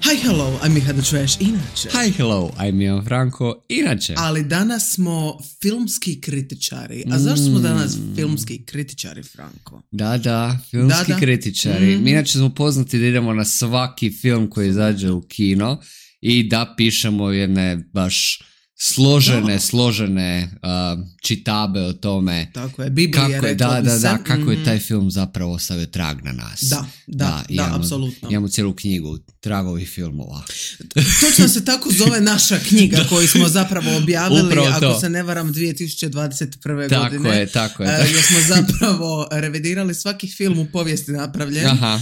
Hi, hello, I'm Miha the Trash, inače. Hi, hello, I'm Ivan Franko, inače. Ali danas smo filmski kritičari. A zašto smo danas filmski kritičari, Franko? Da, filmski kritičari. Mi inače smo poznati da idemo na svaki film koji izađe u kino i da pišemo jedne baš složene čitabe o tome. Tako je, Biblija rekla bi se. Kako je taj film zapravo ostavio trag na nas. Da, apsolutno. Imamo cijelu knjigu tragovi filmova. Točno se tako zove naša knjiga koju smo zapravo objavili, Upravo ako to. se ne varam, 2021. Tako godine. je. Gdje smo zapravo revidirali svaki film u povijesti napravljen. Aha.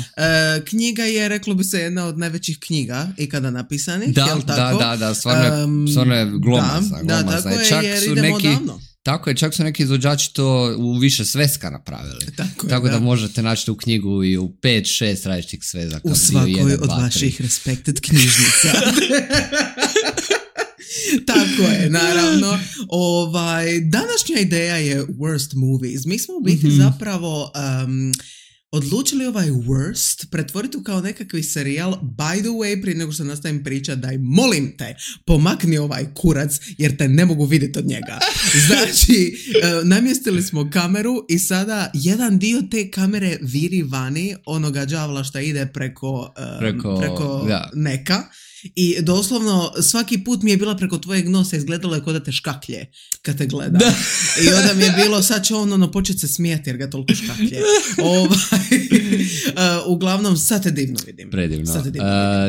Knjiga je, reklo bi se, jedna od najvećih knjiga ikada napisanih. Da, stvarno je glomazna. Da, tako je, jer idemo odavno. Tako je, čak su neki izvođači to u više sveska napravili. Tako da možete naći tu knjigu i u 5-6 različitih svezaka. U svakoj od vaših respected knjižnica. Tako je, naravno. Današnja ideja je worst movies. Mi smo u biti zapravo odlučili ovaj worst pretvoriti kao nekakvi serijal. By the way, prije nego što nastavim pričat, daj molim te, pomakni ovaj kurac jer te ne mogu vidjeti od njega. Znači, namjestili smo kameru i sada jedan dio te kamere viri vani onoga đavla što ide preko neka. I doslovno svaki put mi je bila preko tvojeg nosa, izgledalo je kao da te škaklje kad te gleda. I onda mi je bilo, sad će on početi se smijeti jer ga toliko škaklje. Uglavnom, sad te divno vidim. Predivno.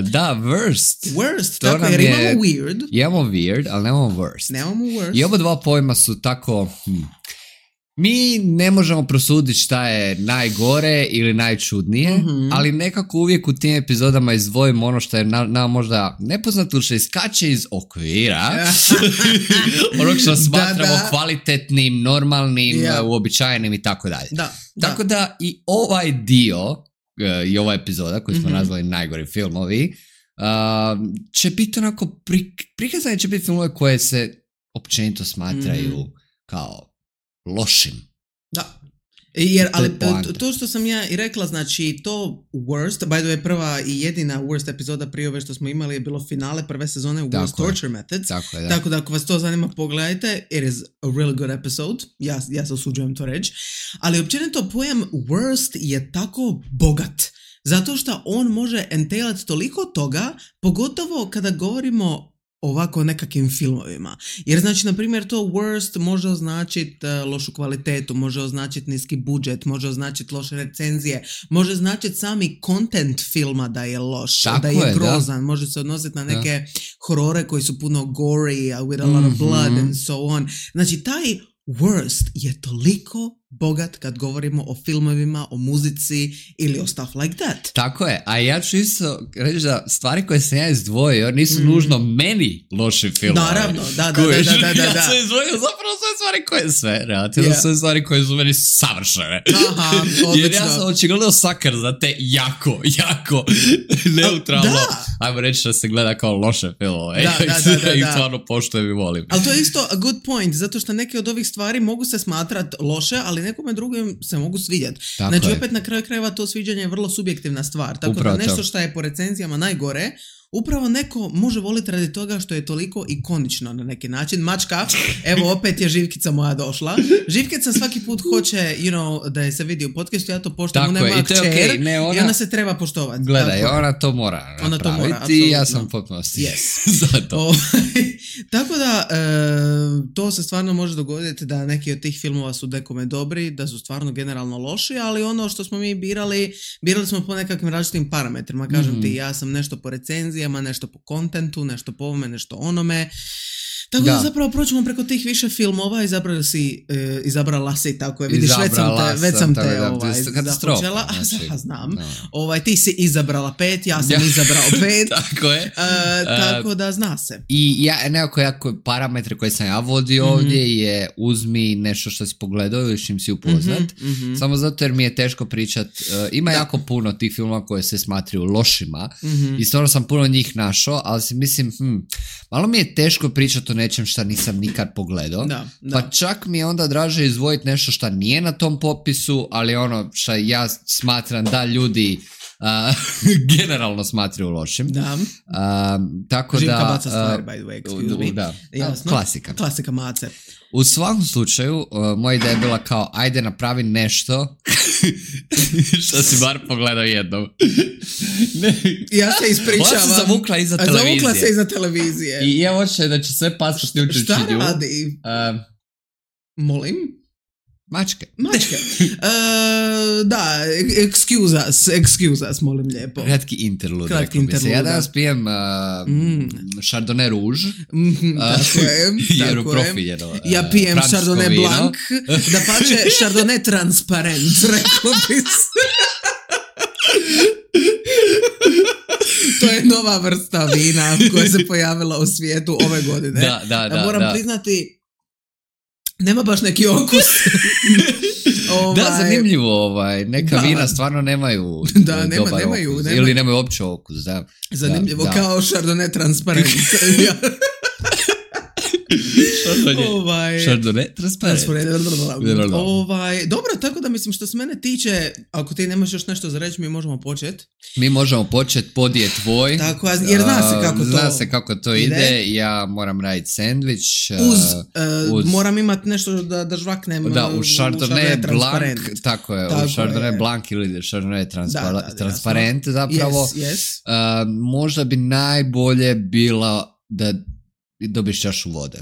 Da, worst. Tako, jer imamo weird. Imamo weird, ali nemamo worst. I oba dva pojma su tako... Mi ne možemo prosuditi šta je najgore ili najčudnije, ali nekako uvijek u tim epizodama izdvojimo ono što je nam možda nepoznato ili što iskače iz okvira, ono što smatramo kvalitetnim, normalnim, uobičajenim i tako dalje. Tako da i ovaj dio, i ova epizoda koju smo nazvali najgori filmovi, će biti onako, prikazane će biti filmove koje se općenito smatraju kao lošim. Da. Ali to što sam ja i rekla, znači to worst, by the way, prva i jedina worst epizoda prije ove što smo imali je bilo finale prve sezone Worst Torture Methods. Tako da ako vas to zanima, pogledajte. It is a really good episode. Ja se usuđujem to reći. Ali općenito pojam worst je tako bogat. Zato što on može entailati toliko toga, pogotovo kada govorimo ovako nekakvim filmovima. Jer znači, na primjer, to worst može označiti lošu kvalitetu, može označiti niski budžet, može označiti loše recenzije, može označiti sami content filma da je loš, da je grozan, može se odnositi na neke horore koji su puno gory, with a lot of blood and so on. Znači, taj worst je toliko bogat kad govorimo o filmovima, o muzici ili o stuff like that. Tako je, a ja ću isto reći da stvari koje sam ja izdvojio nisu nužno meni loši filmovi. Naravno, da. Ja sam izdvojio zapravo sve stvari koje sve, relativno sve stvari koje su meni savršene. Aha, odlično. Jer ja sam očigledno sakar za te jako neutralno, ajmo reći da se gleda kao loše filmove. Da. I stvarno poštujem i volim. Ali to je isto a good point, zato što neke od ovih stvari mogu se smatrati loše, ali nekome drugom se mogu svidjeti. Znači, opet na kraju krajeva to sviđanje je vrlo subjektivna stvar. Tako upravo da nešto što je po recenzijama najgore, upravo neko može voliti radi toga što je toliko ikonično na neki način. Mačka, evo opet je Živkica moja došla. Živkica svaki put hoće, da je se vidi u podcastu, ja to poštujem, ona ima kćer i ona se treba poštovati. Gledaj, ona to mora napraviti i ja sam potpunosti za to. Tako da, to se stvarno može dogoditi da neki od tih filmova su nekome dobri, da su stvarno generalno loši, ali ono što smo mi birali smo po nekakvim različitim parametrima. Kažem ti, ja sam nešto po recenzijama, nešto po kontentu, nešto po ovome, nešto onome. Tako da zapravo proćemo preko tih više filmova, izabrala si, tako je, vidiš, već sam te započela, znam. Ti si izabrala 5, ja sam izabrao 5. Tako je. Tako da zna se. I nekako parametre koje sam ja vodio ovdje je uzmi nešto što si pogledao ili s čim si upoznat. Samo zato jer mi je teško pričat. Ima jako puno tih filmova koje se smatraju lošima i stvarno sam puno njih našao, ali si mislim, malo mi je teško pričati o nečem što nisam nikad pogledao. Pa čak mi je onda draže izdvojiti nešto što nije na tom popisu, ali ono što ja smatram da ljudi generalno smatraju lošim. Da. Tako Živka da... baca stvari, by the way, excuse me. Da. Jasno. Klasika mace. U svakom slučaju, moja ideja je bila kao, ajde napravi nešto što si bar pogledao jednom. Ja se ispričavam. Ona se zavukla iza televizije. Zavukla se iza televizije. I ja hoće da će sve pasti uključujući Šta nju. radi? Molim? Mačke. Da, excuse us, molim lijepo. Kratki interlude. Ja danas pijem Chardonnay Rouge. Tako je. Jer uprofiljeno. Ja pijem Chardonnay Blanc. Da pače Chardonnay Transparent, rekao bi se. To je nova vrsta vina koja se pojavila u svijetu ove godine. Da. Moram priznati, nema baš neki okus. Da, zanimljivo, neka vina stvarno nemaju dobar okus. Ili nemaju uopće okus, da. Zanimljivo, kao Chardonnay Transparent. Chardonnay Transparent. Dobro, tako da mislim što se mene tiče, ako ti nemaš još nešto za reći, mi možemo početi. Mi možemo početi, pod je tvoj. Tako, jer zna se kako to ide. Ja moram raditi sandvič. Moram imati nešto da žvaknem. Da, u Chardonnay Blanc. Tako je, u Chardonnay Blanc ili Chardonnay Transparent zapravo. Možda bi najbolje bila da dobiš čašu vode.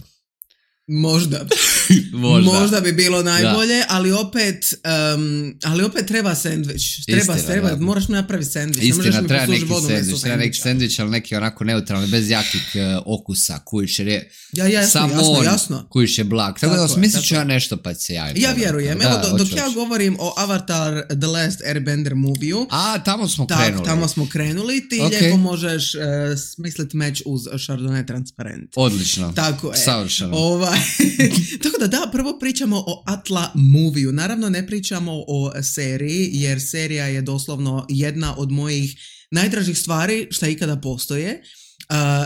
Možda bi bilo najbolje, ali opet treba sendvič. Treba, moraš mi napraviti sendvič. Istina, treba neki sendvič, ali neki onako neutralni, bez jakih okusa, kujiš je jasno. Kujiš je blag. Tako da smislit ću ja nešto pa se javim. Ja vjerujem. Evo, dok ja govorim o Avatar The Last Airbender movie-u. Tamo smo krenuli. Ti lijepo možeš smisliti meč uz Chardonnay Transparent. Odlično. Tako je. Savršeno. Tako da, prvo pričamo o Atla movie-u. Naravno ne pričamo o seriji, jer serija je doslovno jedna od mojih najdražih stvari šta ikada postoje.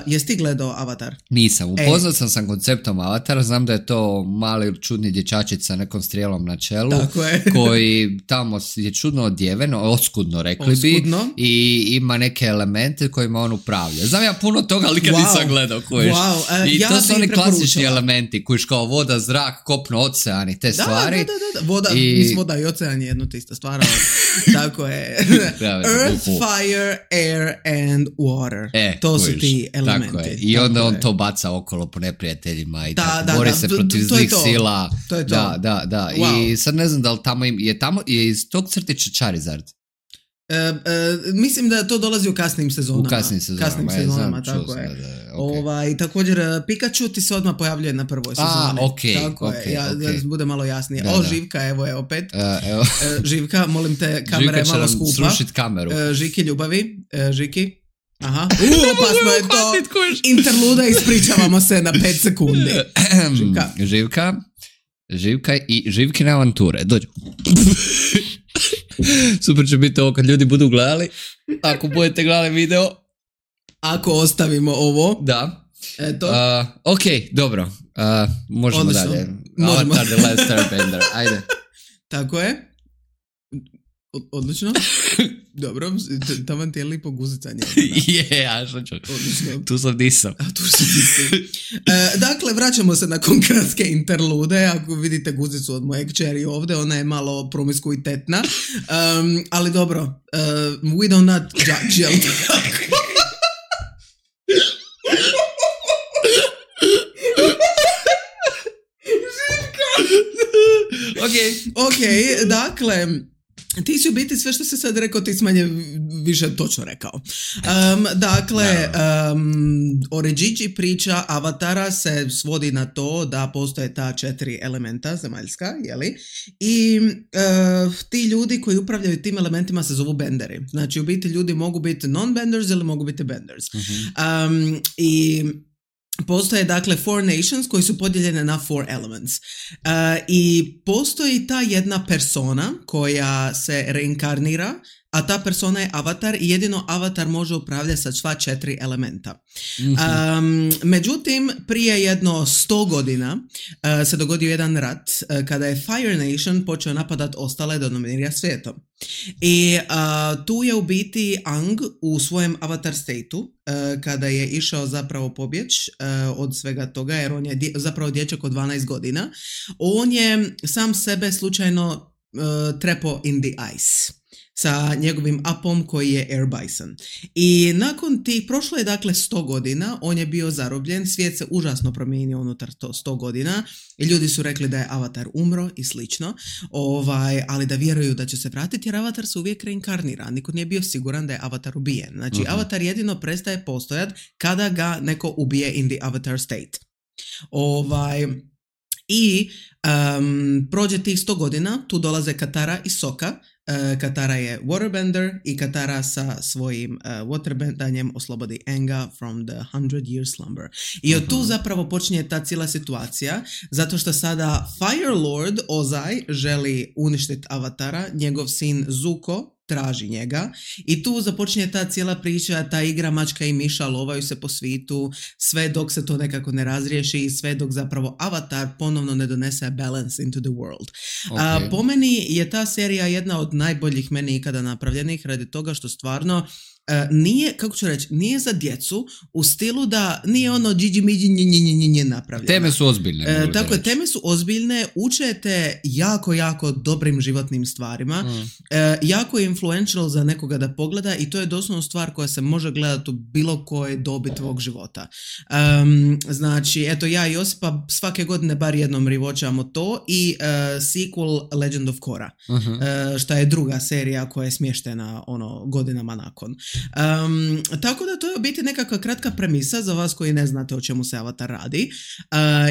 Jesi ti gledao Avatar? Nisam, upoznat sam konceptom Avatara, znam da je to mali čudni dječačić sa nekom strijelom na čelu, koji tamo je čudno odjeven, oskudno rekli bi, i ima neke elemente kojima on upravlja. Znam ja puno toga, ali kad nisam gledao, kojiš. I to su oni klasični elementi, kojiš kao voda, zrak, kopno, ocean i te stvari. Da. Voda i ocean je jedno te ista stvar. Tako je. Earth, fire, air and water. To su ti elementi. Tako je. I onda on to baca okolo po neprijateljima i bori se protiv zlih sila. To je to. Da. Wow. I sad ne znam da li tamo je iz tog crtića Charizard. Mislim da to dolazi u kasnim sezonama. Tako je. Okay. Također Pikachu ti se odmah pojavljuje na prvoj sezoni. Tako je. Da bude malo jasnije. Živka, evo je opet. Živka, molim te, kamera je malo skupa. Živka će nam srušit kameru. Žiki, ljubavi. Žiki. Aha. Opasno je to. Interluda, ispričavamo se na 5 sekundi. Živka i Živkine avanture. Dođu. Super će biti ovo kad ljudi budu gledali. Ako budete gledali video. Ako ostavimo ovo. Da. Eto. Ok, dobro. Možemo odlično. Dalje. Avatar The Last Airbender. Ajde. Tako je. Odlično. Dobro, tamo ti je lipo guzicanje. Ja što ću. Tu sam disao. Dakle, vraćamo se nakon kratke interlude. Ako vidite guzicu od moje kćeri ovdje, ona je malo promiskuitetna. Ali dobro, we do not judge. Ok, dakle, ti si u biti sve što si sad rekao, ti si manje više točno rekao. Origigi priča Avatara se svodi na to da postoje ta 4 elementa zemaljska, jeli? I ti ljudi koji upravljaju tim elementima se zovu benderi. Znači, u biti ljudi mogu biti non-benders ili mogu biti benders. I postoje dakle 4 nations koji su podijeljene na 4 elements. I postoji ta jedna persona koja se reinkarnira a ta persona je avatar i jedino avatar može upravljati sa sva 4 elementa. Međutim, prije jedno 100 godina se dogodio jedan rat kada je Fire Nation počeo napadat ostale da dominira svijetom. I tu je u biti Aang u svojem avatar stateu kada je išao zapravo pobjeć od svega toga, jer on je zapravo dječak od 12 godina. On je sam sebe slučajno trepo in the ice sa njegovim apom koji je Air Bison. I nakon tih, prošlo je dakle 100 godina, on je bio zarobljen, svijet se užasno promijenio unutar 100 godina i ljudi su rekli da je avatar umro i slično, ali da vjeruju da će se vratiti jer avatar se uvijek reinkarnira, niko nije bio siguran da je avatar ubijen. Znači avatar jedino prestaje postojat kada ga neko ubije in the avatar state. Prođe tih 100 godina, tu dolaze Katara i Sokka. Katara je waterbender i Katara sa svojim waterbendanjem oslobodi Aanga from the 100 year slumber. I od tu zapravo počinje ta cijela situacija, zato što sada Fire Lord Ozai želi uništiti avatara, njegov sin Zuko traži njega i tu započinje ta cijela priča, ta igra mačka i miša, lovaju se po svitu, sve dok se to nekako ne razriješi i sve dok zapravo avatar ponovno ne donese balance into the world. Okay. Po meni je ta serija jedna od najboljih meni ikada napravljenih radi toga što stvarno nije, kako ću reći, nije za djecu u stilu da nije ono džiđi miđi napravljeno. Teme su ozbiljne. Tako je, teme su ozbiljne, učete jako dobrim životnim stvarima, jako je influential za nekoga da pogleda i to je doslovno stvar koja se može gledati u bilo koje dobi tvog života. Znači, eto ja i Josipa svake godine bar jednom rewatchamo to i sequel Legend of Korra, šta je druga serija koja je smještena godinama nakon. Tako da to je u biti nekakva kratka premisa za vas koji ne znate o čemu se Avatar radi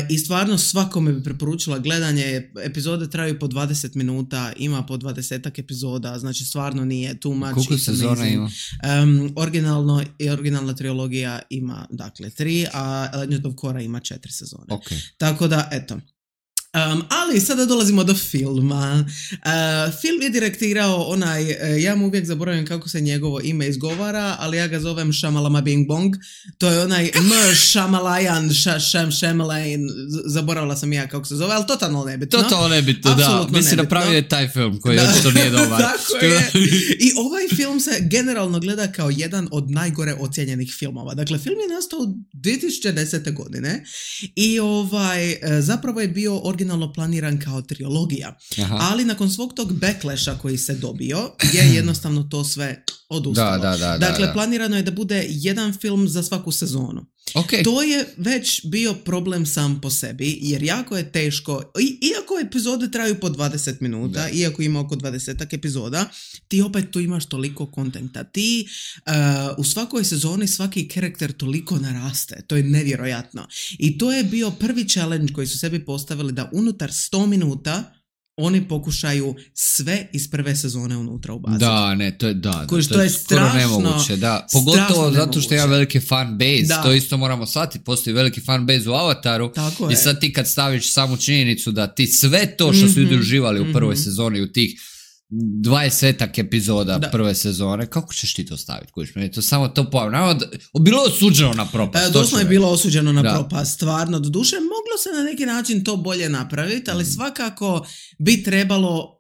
i stvarno svakome bi preporučila gledanje. Epizode traju po 20 minuta, ima po 20 epizoda, znači stvarno nije too much. Koliko sezona ima? Originalna trilogija ima dakle 3, a Legend of Korra ima 4 sezone. Okay. Tako da, eto. Ali sada dolazimo do filma. Film je direktirao ja mu uvijek zaboravim kako se njegovo ime izgovara, ali ja ga zovem Shamalama Bing Bong. To je onaj Shamalayan, Shamalayan, zaboravila sam ja kako se zove, ali totalno nebitno. Da. Mislim napravio je taj film koji očito nije dobar. Tako je. I ovaj film se generalno gleda kao jedan od najgore ocijenjenih filmova. Dakle, film je nastao 2010. godine i zapravo je bio originalno planiran kao trilogija. Ali nakon svog tog backlasha koji se dobio je jednostavno to sve odustalo. Dakle, planirano je da bude jedan film za svaku sezonu. Okay. To je već bio problem sam po sebi, jer jako je teško, iako epizode traju po 20 minuta, iako ima oko 20 epizoda, ti opet tu imaš toliko kontenta. Ti u svakoj sezoni svaki karakter toliko naraste. To je nevjerojatno. I to je bio prvi challenge koji su sebi postavili da unutar 100 minuta oni pokušaju sve iz prve sezone unutra ubaciti. To je skoro nemoguće. Pogotovo zato što ima veliki fan base. To isto moramo shvatiti. Postoji veliki fan base u Avataru. I sad ti kad staviš samu činjenicu da ti sve to što su ljudi uživali u prvoj sezoni, u tih 20 epizoda prve sezone, kako ćeš ti to staviti? To samo to pojavno. Bilo je osuđeno na propast. Doslovno je bilo osuđeno na propast. Stvarno, doduše, moglo se na neki način to bolje napraviti, ali svakako bi trebalo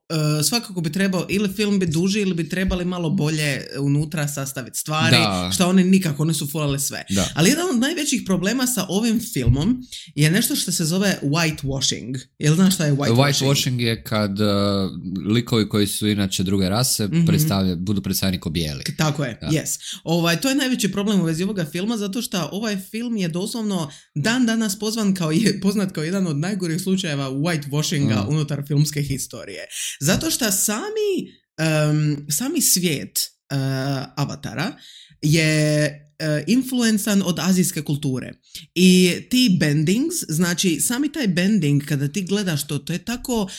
ili film bi duži ili bi trebali malo bolje unutra sastaviti stvari, što oni nikako nisu fulali sve. Ali jedan od najvećih problema sa ovim filmom je nešto što se zove whitewashing. Jel znaš šta je whitewashing? Whitewashing je kad likovi koji su inače druge rase budu predstavljeni kao bijeli. Tako je, yes. To je najveći problem u vezi ovoga filma, zato što ovaj film je doslovno dan danas poznat kao jedan od najgorih slučajeva whitewashinga unutar filmske historije. Zato što sami svijet Avatara je influencan od azijske kulture. I ti bendings, znači sami taj bending kada ti gledaš to je tako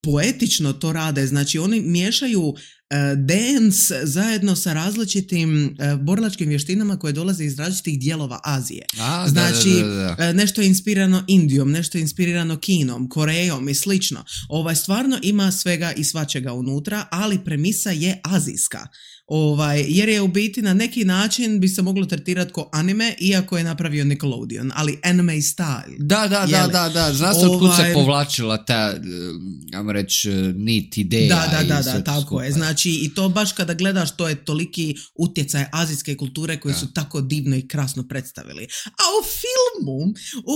poetično to rade, znači oni miješaju dance zajedno sa različitim borilačkim vještinama koje dolaze iz različitih dijelova Azije. Znači, nešto je inspirirano Indijom, nešto je inspirirano Kinom, Korejom i slično. Stvarno ima svega i svačega unutra, ali premisa je azijska. Jer je u biti na neki način bi se moglo tretirati kao anime, iako je napravio Nickelodeon, ali anime style. Da. Znaš otkud se povlačila ta, ajmo reći, nit ideja. Da, tako je. Znači, i to baš kada gledaš, to je toliki utjecaj azijske kulture koji su tako divno i krasno predstavili. A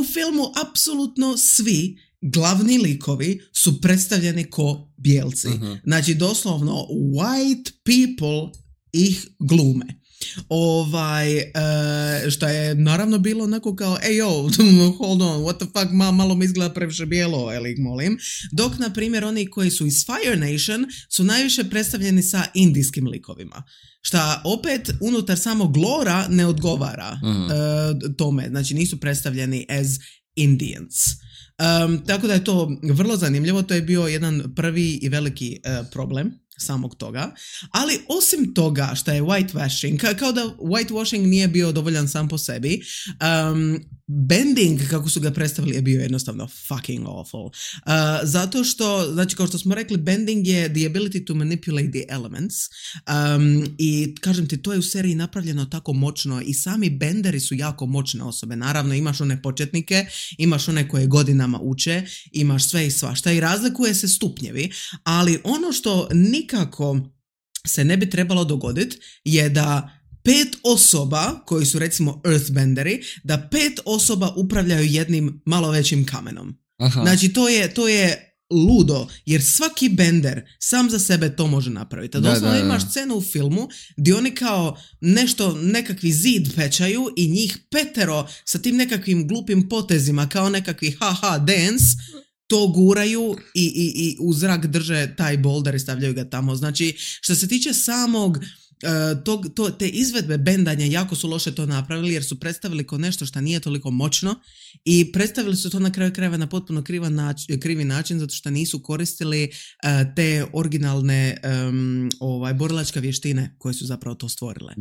u filmu apsolutno svi glavni likovi su predstavljeni ko bijelci. Znači, doslovno white people ih glume. Što je naravno bilo onako kao hold on, what the fuck, malo mi izgleda previše bijelo, molim. Dok, na primjer, oni koji su iz Fire Nation su najviše predstavljeni sa indijskim likovima. Šta opet unutar samog lora ne odgovara tome. Znači, nisu predstavljeni as Indians. Tako da je to vrlo zanimljivo, to je bio jedan prvi i veliki problem samog toga, ali osim toga što je whitewashing, kao da whitewashing nije bio dovoljan sam po sebi, bending kako su ga predstavili je bio jednostavno fucking awful. Zato što, znači kao što smo rekli, bending je the ability to manipulate the elements, i kažem ti, to je u seriji napravljeno tako moćno i sami benderi su jako moćne osobe. Naravno imaš one početnike, imaš one koje godinama uče, imaš sve i svašta i razlikuje se stupnjevi, ali ono što nikako se ne bi trebalo dogoditi je da 5 osoba, koji su recimo earthbenderi, da 5 osoba upravljaju jednim malo većim kamenom. Znači to je ludo, jer svaki bender sam za sebe to može napraviti. Doslovno imaš scenu u filmu gdje oni kao nekakvi zid pečaju i njih 5 sa tim nekakvim glupim potezima kao nekakvi dance to guraju i u zrak drže taj boulder i stavljaju ga tamo. Znači, što se tiče samog te izvedbe bendanja, jako su loše to napravili jer su predstavili kao nešto što nije toliko moćno i predstavili su to na kraju krajeva na potpuno krivi način zato što nisu koristili te originalne borilačke vještine koje su zapravo to stvorile.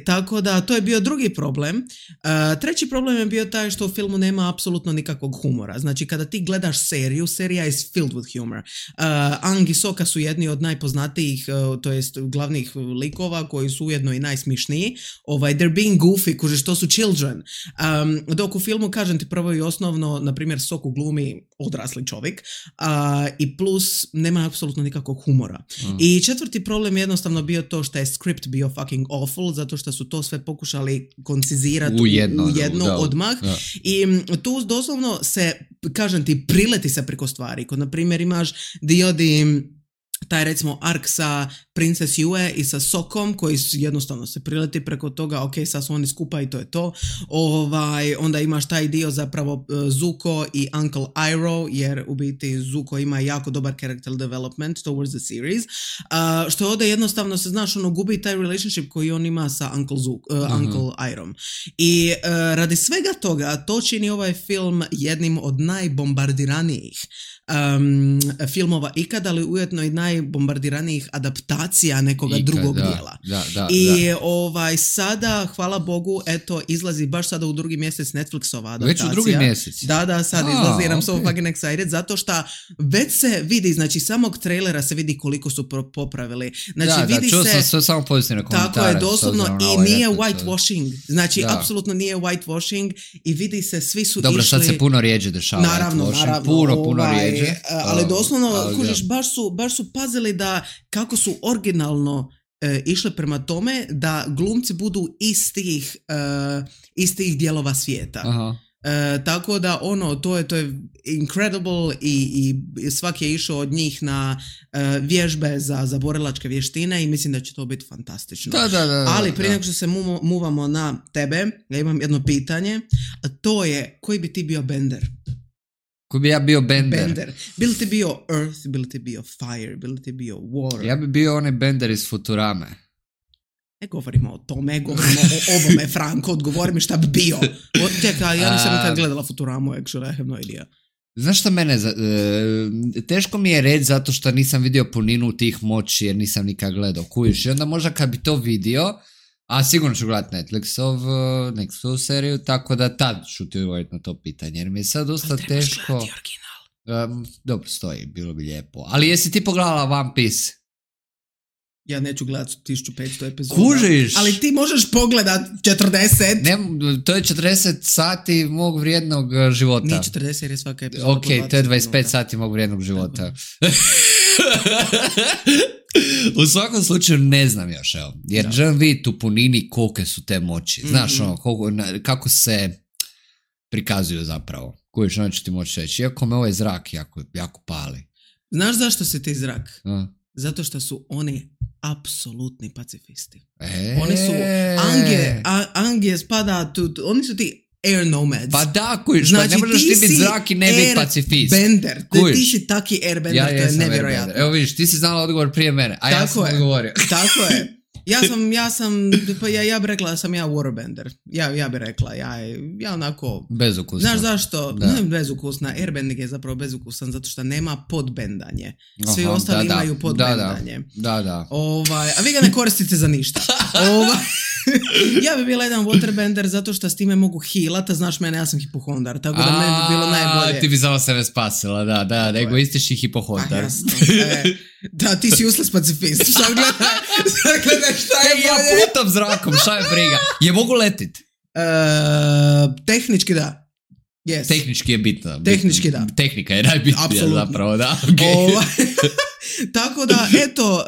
Tako da to je bio drugi problem. Treći problem je bio taj što u filmu nema apsolutno nikakvog humora. Znači kada ti gledaš seriju, serija is filled with humor. Aang i Sokka su jedni od najpoznatijih, to jest glavnih likova koji su ujedno i najsmišniji. They're being goofy, kužiš, to su children. Dok u filmu, kažem ti, prvo i osnovno, na primjer, Sokku glumi odrasli čovjek i plus nema apsolutno nikakvog humora. I četvrti problem je jednostavno bio to što je script bio fucking awful, zato što su to sve pokušali koncizirati u jedno odmah. I tu doslovno se, kažem ti, prileti se preko stvari. Kod, na primjer, imaš dio taj recimo ark sa Princess Yue i sa Sokkom koji jednostavno se prileti preko toga, ok, sad su oni skupa i to je to. Onda imaš taj dio zapravo Zuko i Uncle Iroh, jer u biti Zuko ima jako dobar character development towards the series, što ovdje jednostavno se, znaš, gubi taj relationship koji on ima sa Uncle Irohom. I radi svega toga to čini ovaj film jednim od najbombardiranijih filmova ikada, ali ujedno i najbombardiranijih adaptacija nekoga drugog dijela. I sada, hvala Bogu, eto, izlazi baš sada u drugi mjesec Netflixova adaptacija. Već u drugi mjesec? Da, sad izlazi, I'm so fucking excited, zato što već se vidi, znači samog trailera se vidi koliko su popravili. Znači, vidi čuo se, sam sve samo pozitivne komentare. Tako je, doslovno, i nije whitewashing. Znači, apsolutno nije whitewashing i vidi se, svi su išli... Dobro, sad se puno rijeđe dešava. Naravno. Puno rijeđe. Ali doslovno, kužiš, baš su pazili da kako su originalno išle prema tome da glumci budu istih dijelova svijeta. Tako da to je incredible i svaki je išao od njih na vježbe za borilačke vještine i mislim da će to biti fantastično. Ali prije nego što se muvamo na tebe, ja imam jedno pitanje, a to je, koji bi ti bio bender? Ko bi ja bio bender? Bili ti bio Earth, bili ti bio Fire, bili ti bio Water? Ja bi bio onaj bender iz Futurame. Ne govorimo o tome, govorimo o ovome, Franko, odgovori mi šta bi bio. Čekaj, ja nisam nikad gledala Futuramu, actually, I have no idea. Znaš što mene, teško mi je reći zato što nisam vidio puninu tih moći jer nisam nikad gledao, kužiš, i onda možda kad bi to vidio, a sigurno ću gledati Netflixovu seriju, tako da tad ću ti odgovoriti na to pitanje, jer mi je sad dosta teško. Dobro, stoji, bilo bi lijepo. Ali jesi ti pogledala One Piece? Ja neću gledati 1500 epizoda. Kužiš? Ali ti možeš pogledat 40. Ne, to je 40 sati mog vrijednog života. Nije 40 jer je svaka epizoda. Ok, to je 25 sati mog vrijednog života. U svakom slučaju ne znam još, evo. Jer želim vidjeti u punini kolike su te moći. Znaš, kako se prikazuju zapravo. Kojiš, ono ću ti moći reći. Iako me ovaj zrak jako pali. Znaš zašto se ti zrak? Zato što su oni apsolutni pacifisti. Oni su Ange spada oni su ti air nomads. Pa da, kujiš, znači, pa ne možeš ti biti zrak i ne biti pacifist. Bender. Ti si taki airbender, to je nevjerojatno. Evo vidiš, ti si znala odgovor prije mene, a ja sam odgovorio. Tako je. Ja bi rekla da sam ja waterbender. Ja bi rekla, ja onako... Bezukusna. Znaš zašto? Ne bezukusna, airbending je zapravo bezukusan zato što nema podbendanje. Svi ostali imaju podbendanje. Da. A vi ga ne koristite za ništa. Ja bi bila jedan waterbender zato što s time mogu healat, a znaš mene, ja sam hipohondar, tako da meni bi bilo najbolje. Ti bi samo sebe spasila, da, egoistični hipohondar. Da, ti si useless pacifist. Sad gledaj šta je bolje. Ja putam zrakom, šta je briga. Je mogu letit? Tehnički da. Yes. Tehnički je bitno. Tehnički da. Tehnika je najbitnija zapravo, da. Tako da, eto,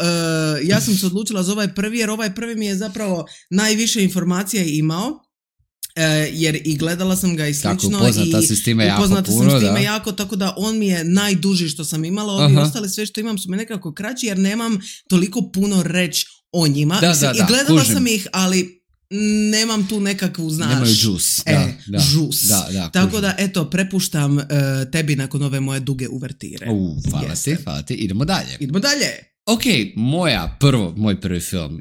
ja sam se odlučila za ovaj prvi, jer ovaj prvi mi je zapravo najviše informacija imao. Jer i gledala sam ga i slično. Tako, upoznata si s time jako, tako da on mi je najduži što sam imala. Ovi ostali sve što imam su mi nekako kraći, jer nemam toliko puno reći o njima. I gledala sam ih, ali nemam tu nekakvu, znaš... Nemaju džus. Žus. Tako da, eto, prepuštam tebi nakon ove moje duge uvertire. Hvala ti. Idemo dalje. Ok, moj prvi film.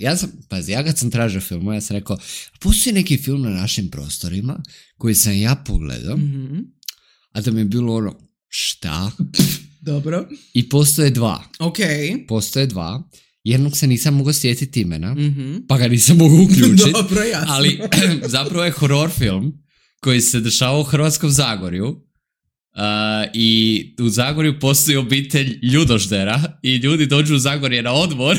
Ja kad sam tražio film, ja sam rekao, postoji neki film na našim prostorima koji sam ja pogledao, a da mi je bilo ono, šta? Dobro. I postoje dva. Ok. Postoje dva. Jednog se nisam mogao sjetiti imena, pa ga nisam mogao uključiti. Dobro, jasno. Ali zapravo je horror film koji se dešava u Hrvatskom Zagorju. I u Zagorju postoji obitelj ljudoždera i ljudi dođu u Zagorje na odmor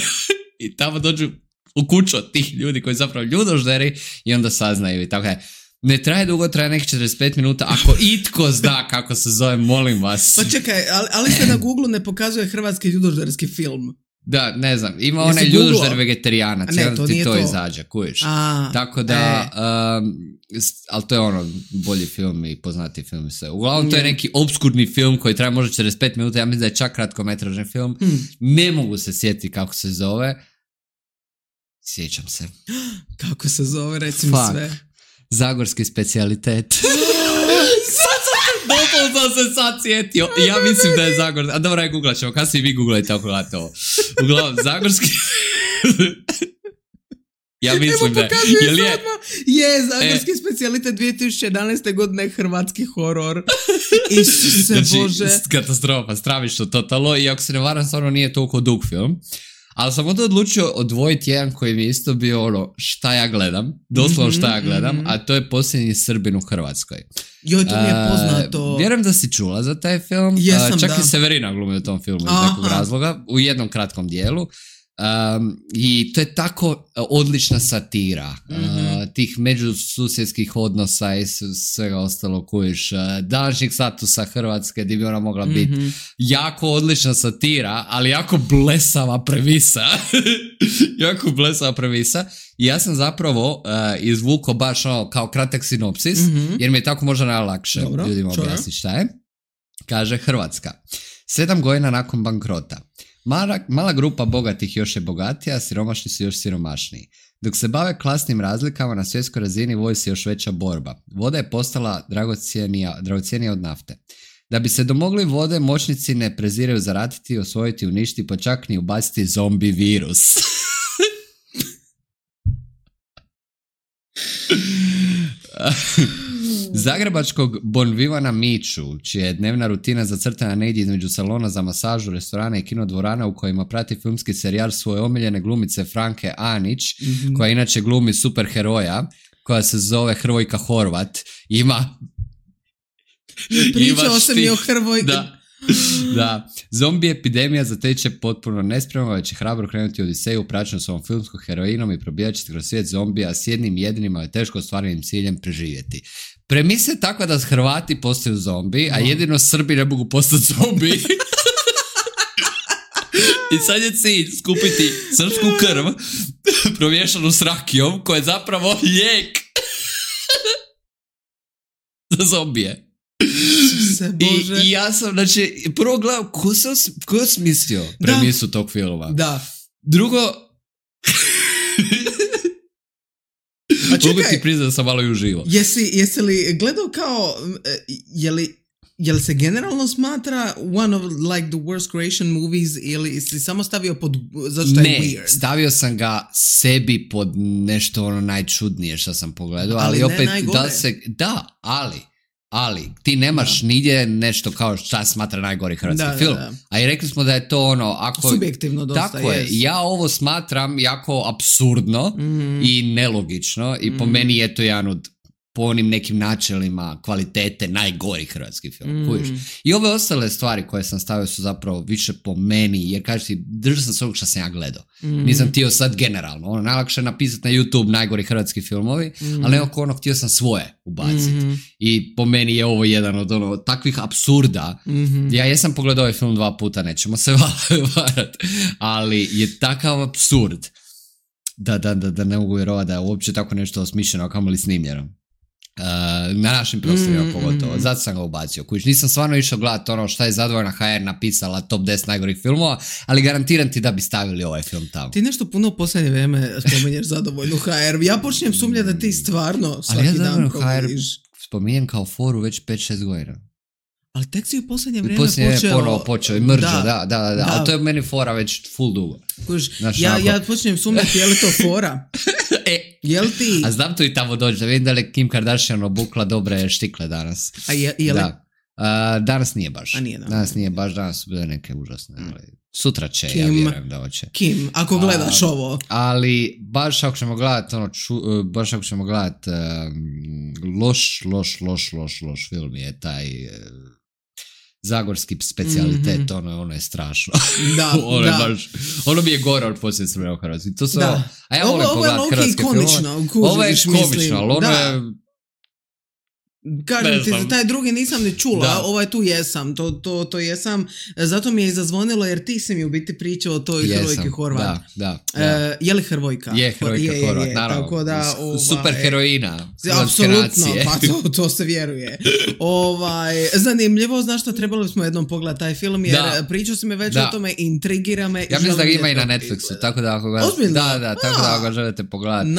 i tamo dođu u kuću od tih ljudi koji zapravo ljudožderi i onda saznaju i tako je. Ne traje dugo, traje nekih 45 minuta. Ako itko zna kako se zove, molim vas. Pa čekaj, ali se na Google ne pokazuje hrvatski ljudožderski film. Da, ne znam, ima onaj ljudožder vegetarijanac, onda ti to izađe, kujiš. Tako da, ali to je ono bolji film i poznati film. Uglavnom to je neki obskurni film koji traje možda 45 minuta, ja mislim da je čak kratkometražni film. Ne mogu se sjetiti kako se zove. Sjećam se. Kako se zove, reci mi sve. Zagorski specijalitet. Dopol sam se sad sjetio. Ja mislim da je Zagor... A dobro, googlat ćemo. Kad si vi googlajte ako gledate ovo. Uglavnom, Zagorski... Ja mislim da je... Zagorski specijalitet 2011. godine hrvatski horor. Isuse Bože. Katastrofa, stravično totalno. I ako se ne varam, stvarno nije toliko dug film. Ali sam onda odlučio odvojiti jedan koji mi je isto bio ono šta ja gledam, doslovno šta ja gledam, a to je Posljednji Srbin u Hrvatskoj. Joj, to mi je poznato. Vjerujem da si čula za taj film. Čak i Severina glumi u tom filmu iz nekog razloga, u jednom kratkom dijelu. I to je tako odlična satira tih međususjedskih odnosa i svega ostalo kojiš današnjeg statusa Hrvatske gdje bi ona mogla biti jako odlična satira, ali jako blesava premisa. I ja sam zapravo izvukao baš ono kao kratak sinopsis, jer mi je tako možda najlakše ljudima objasniti šta je. Kaže Hrvatska. 7 godina nakon bankrota. Mala grupa bogatih još je bogatija, a siromašni su još siromašniji. Dok se bave klasnim razlikama na svjetskoj razini vodi se još veća borba. Voda je postala dragocjenija od nafte. Da bi se domogli vode, moćnici ne preziraju zaratiti, osvojiti, uništiti, pa čak ni ubaciti zombi virus. Zagrebačkog Bonvivana Miću, čija je dnevna rutina zacrtana negdje između salona za masažu, restorana i kinodvorana u kojima prati filmski serijal svoje omiljene glumice Franke Anić, koja inače glumi superheroja, koja se zove Hrvojka Horvat, ima... Pričao sam i o Hrvojka. Da, zombi epidemija zateče potpuno nespremno, već je hrabro krenuti u Odiseju praćeno s ovom filmskom heroinom i probijat će se kroz svijet zombija s jednim jedinim, ali teško ostvarenim ciljem preživjeti. Premisa je takva da Hrvati postaju zombi, a jedino Srbi ne mogu postati zombi. I sad je cilj skupiti srpsku krv promiješanu s rakijom, koja je zapravo lijek za zombije. I ja sam, znači, prvo gledam, ko je smislio premisu tog filma? Da. Drugo, mogu ti priznati da sam malo i uživo. Jesi li gledao kao, je li se generalno smatra one of like the worst creation movies ili si samo stavio pod, zašto je weird? Ne, stavio sam ga sebi pod nešto ono najčudnije što sam pogledao, ali opet ali ti nemaš nigdje nešto kao šta smatra najgori hrvatski film. A i rekli smo da je to ono, ako... subjektivno dosta. Tako je. Ja ovo smatram jako apsurdno i nelogično i po meni je to jedan od po onim nekim načelima kvalitete najgori hrvatski film. I ove ostale stvari koje sam stavio su zapravo više po meni, jer kažeš ti, držao sam se ovog što sam ja gledao. Nisam htio sad generalno. Ono, najlakše je napisati na YouTube najgori hrvatski filmovi, ali oko ono htio sam svoje ubaciti. I po meni je ovo jedan od ono, takvih apsurda. Ja jesam pogledao ovaj film 2 puta, nećemo se varati, ali je takav apsurd da ne mogu vjerovati da je uopće tako nešto osmišljeno, kamoli snimljeno. Na našim prostorima pogotovo. Zato sam ga ubacio. Kuć, nisam stvarno išao gledati ono šta je Zadovoljna HR napisala top 10 najgorih filmova, ali garantiram ti da bi stavili ovaj film tamo. Ti nešto puno u posljednje vrijeme spominješ Zadovoljnu HR. Ja počinjem sumnjati da ti stvarno svaki dan provodiš. Spominjem kao foru već 5-6 godina. Ali tek si u posljednje vrijeme počeo i mržo, da. Ali to je meni fora već full dugo. Ja počinjem sumnjati, je li to fora? Jel ti? A znam to i tamo dođe, da vidim da li Kim Kardashian obukla dobre štikle danas. A je li? Danas nije baš. Danas su bile neke užasne. Sutra će, ja vjerujem da hoće. Kim, ako gledaš ovo. Ali baš ako ćemo gledati loš film je taj zagorski specijalitet, ono je strašno. Ono mi je gore od posljednje sveme u Hrvatskoj. To su a ja volim pogledati hrvatske filmove. Ovo je komično, ali ono je... Kažem ti, taj drugi nisam ni čula, ovaj tu jesam, to jesam, zato mi je izazvonilo jer ti si mi u biti pričao o toj Hrvojki Horvat. Je li Hrvojka? Je Hrvojka Horvat, naravno. Tako da, super heroina. Apsolutno, pa to se vjeruje. Zanimljivo, znaš što, trebali smo jednom pogledati taj film jer pričao si mi već o tome, intrigira me. Ja mislim da ga ima i na Netflixu, tako da ako ga... tako da ako ga želite pogledati,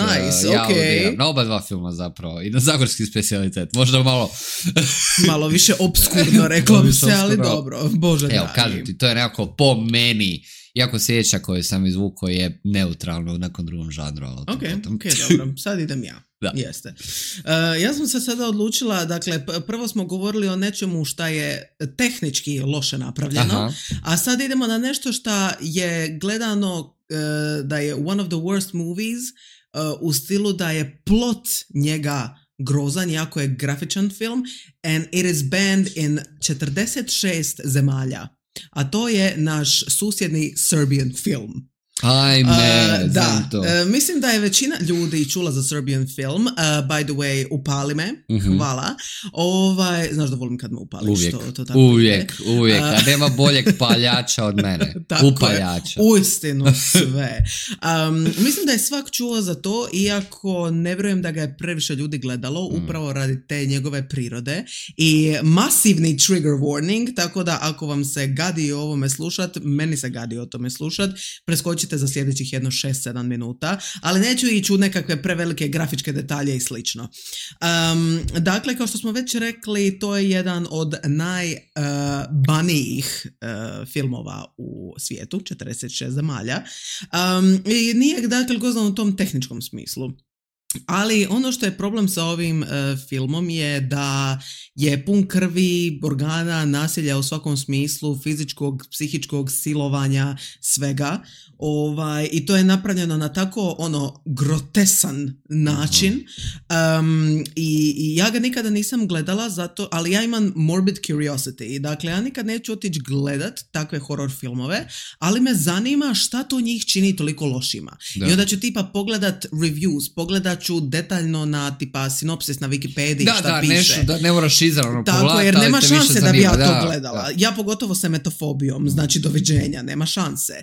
ja odiram na oba 2 filma zapravo i na zagorski specijalitet, možda malo više obskurno reklo bi se, ali dobro, Bože dragi. Evo, kažem ti, to je nekako po meni, iako sjeća koju sam izvukao je neutralno u nekom drugom žanru. Ok, dobro, sad idem ja. Jeste. Ja sam se sada odlučila, dakle, prvo smo govorili o nečemu šta je tehnički loše napravljeno, a sad idemo na nešto šta je gledano da je one of the worst movies, u stilu da je plot njega grozan, jako je grafičan film, and it is banned in 46 zemalja. A to je naš susjedni Serbian film. Ajme, znam to. Mislim da je većina ljudi čula za Serbian film. By the way, upali me. Hvala. Znaš da volim kad me upališ. Uvijek. A nema boljeg paljača od mene. Upaljača. Uistinu sve. Mislim da je svak čuo za to, iako ne vjerujem da ga je previše ljudi gledalo, upravo radi te njegove prirode. I masivni trigger warning, tako da ako vam se gadi o ovome slušat, meni se gadi o tome slušat, preskočite za sljedećih 6-7 minuta, ali neću ići u nekakve prevelike grafičke detalje i slično. Dakle, kao što smo već rekli, to je jedan od najbanijih filmova u svijetu, 46 zemalja. I nije, dakle, gozdan u tom tehničkom smislu. Ali ono što je problem sa ovim filmom je da je pun krvi, organa, nasilja u svakom smislu, fizičkog, psihičkog silovanja, svega. I to je napravljeno na tako grotesan način. I ja ga nikada nisam gledala zato, ali ja imam morbid curiosity. Dakle, ja nikad neću otići gledat takve horror filmove, ali me zanima šta to njih čini toliko lošima. Da. I onda ću tipa pogledat reviews, pogledat ću detaljno na tipa sinopsis na Wikipediji šta piše. Nešto, da ne moraš izravno pogledati. Tako, jer nema šanse da bi ja to gledala. Da. Ja pogotovo sa metofobijom, znači doviđenja, nema šanse.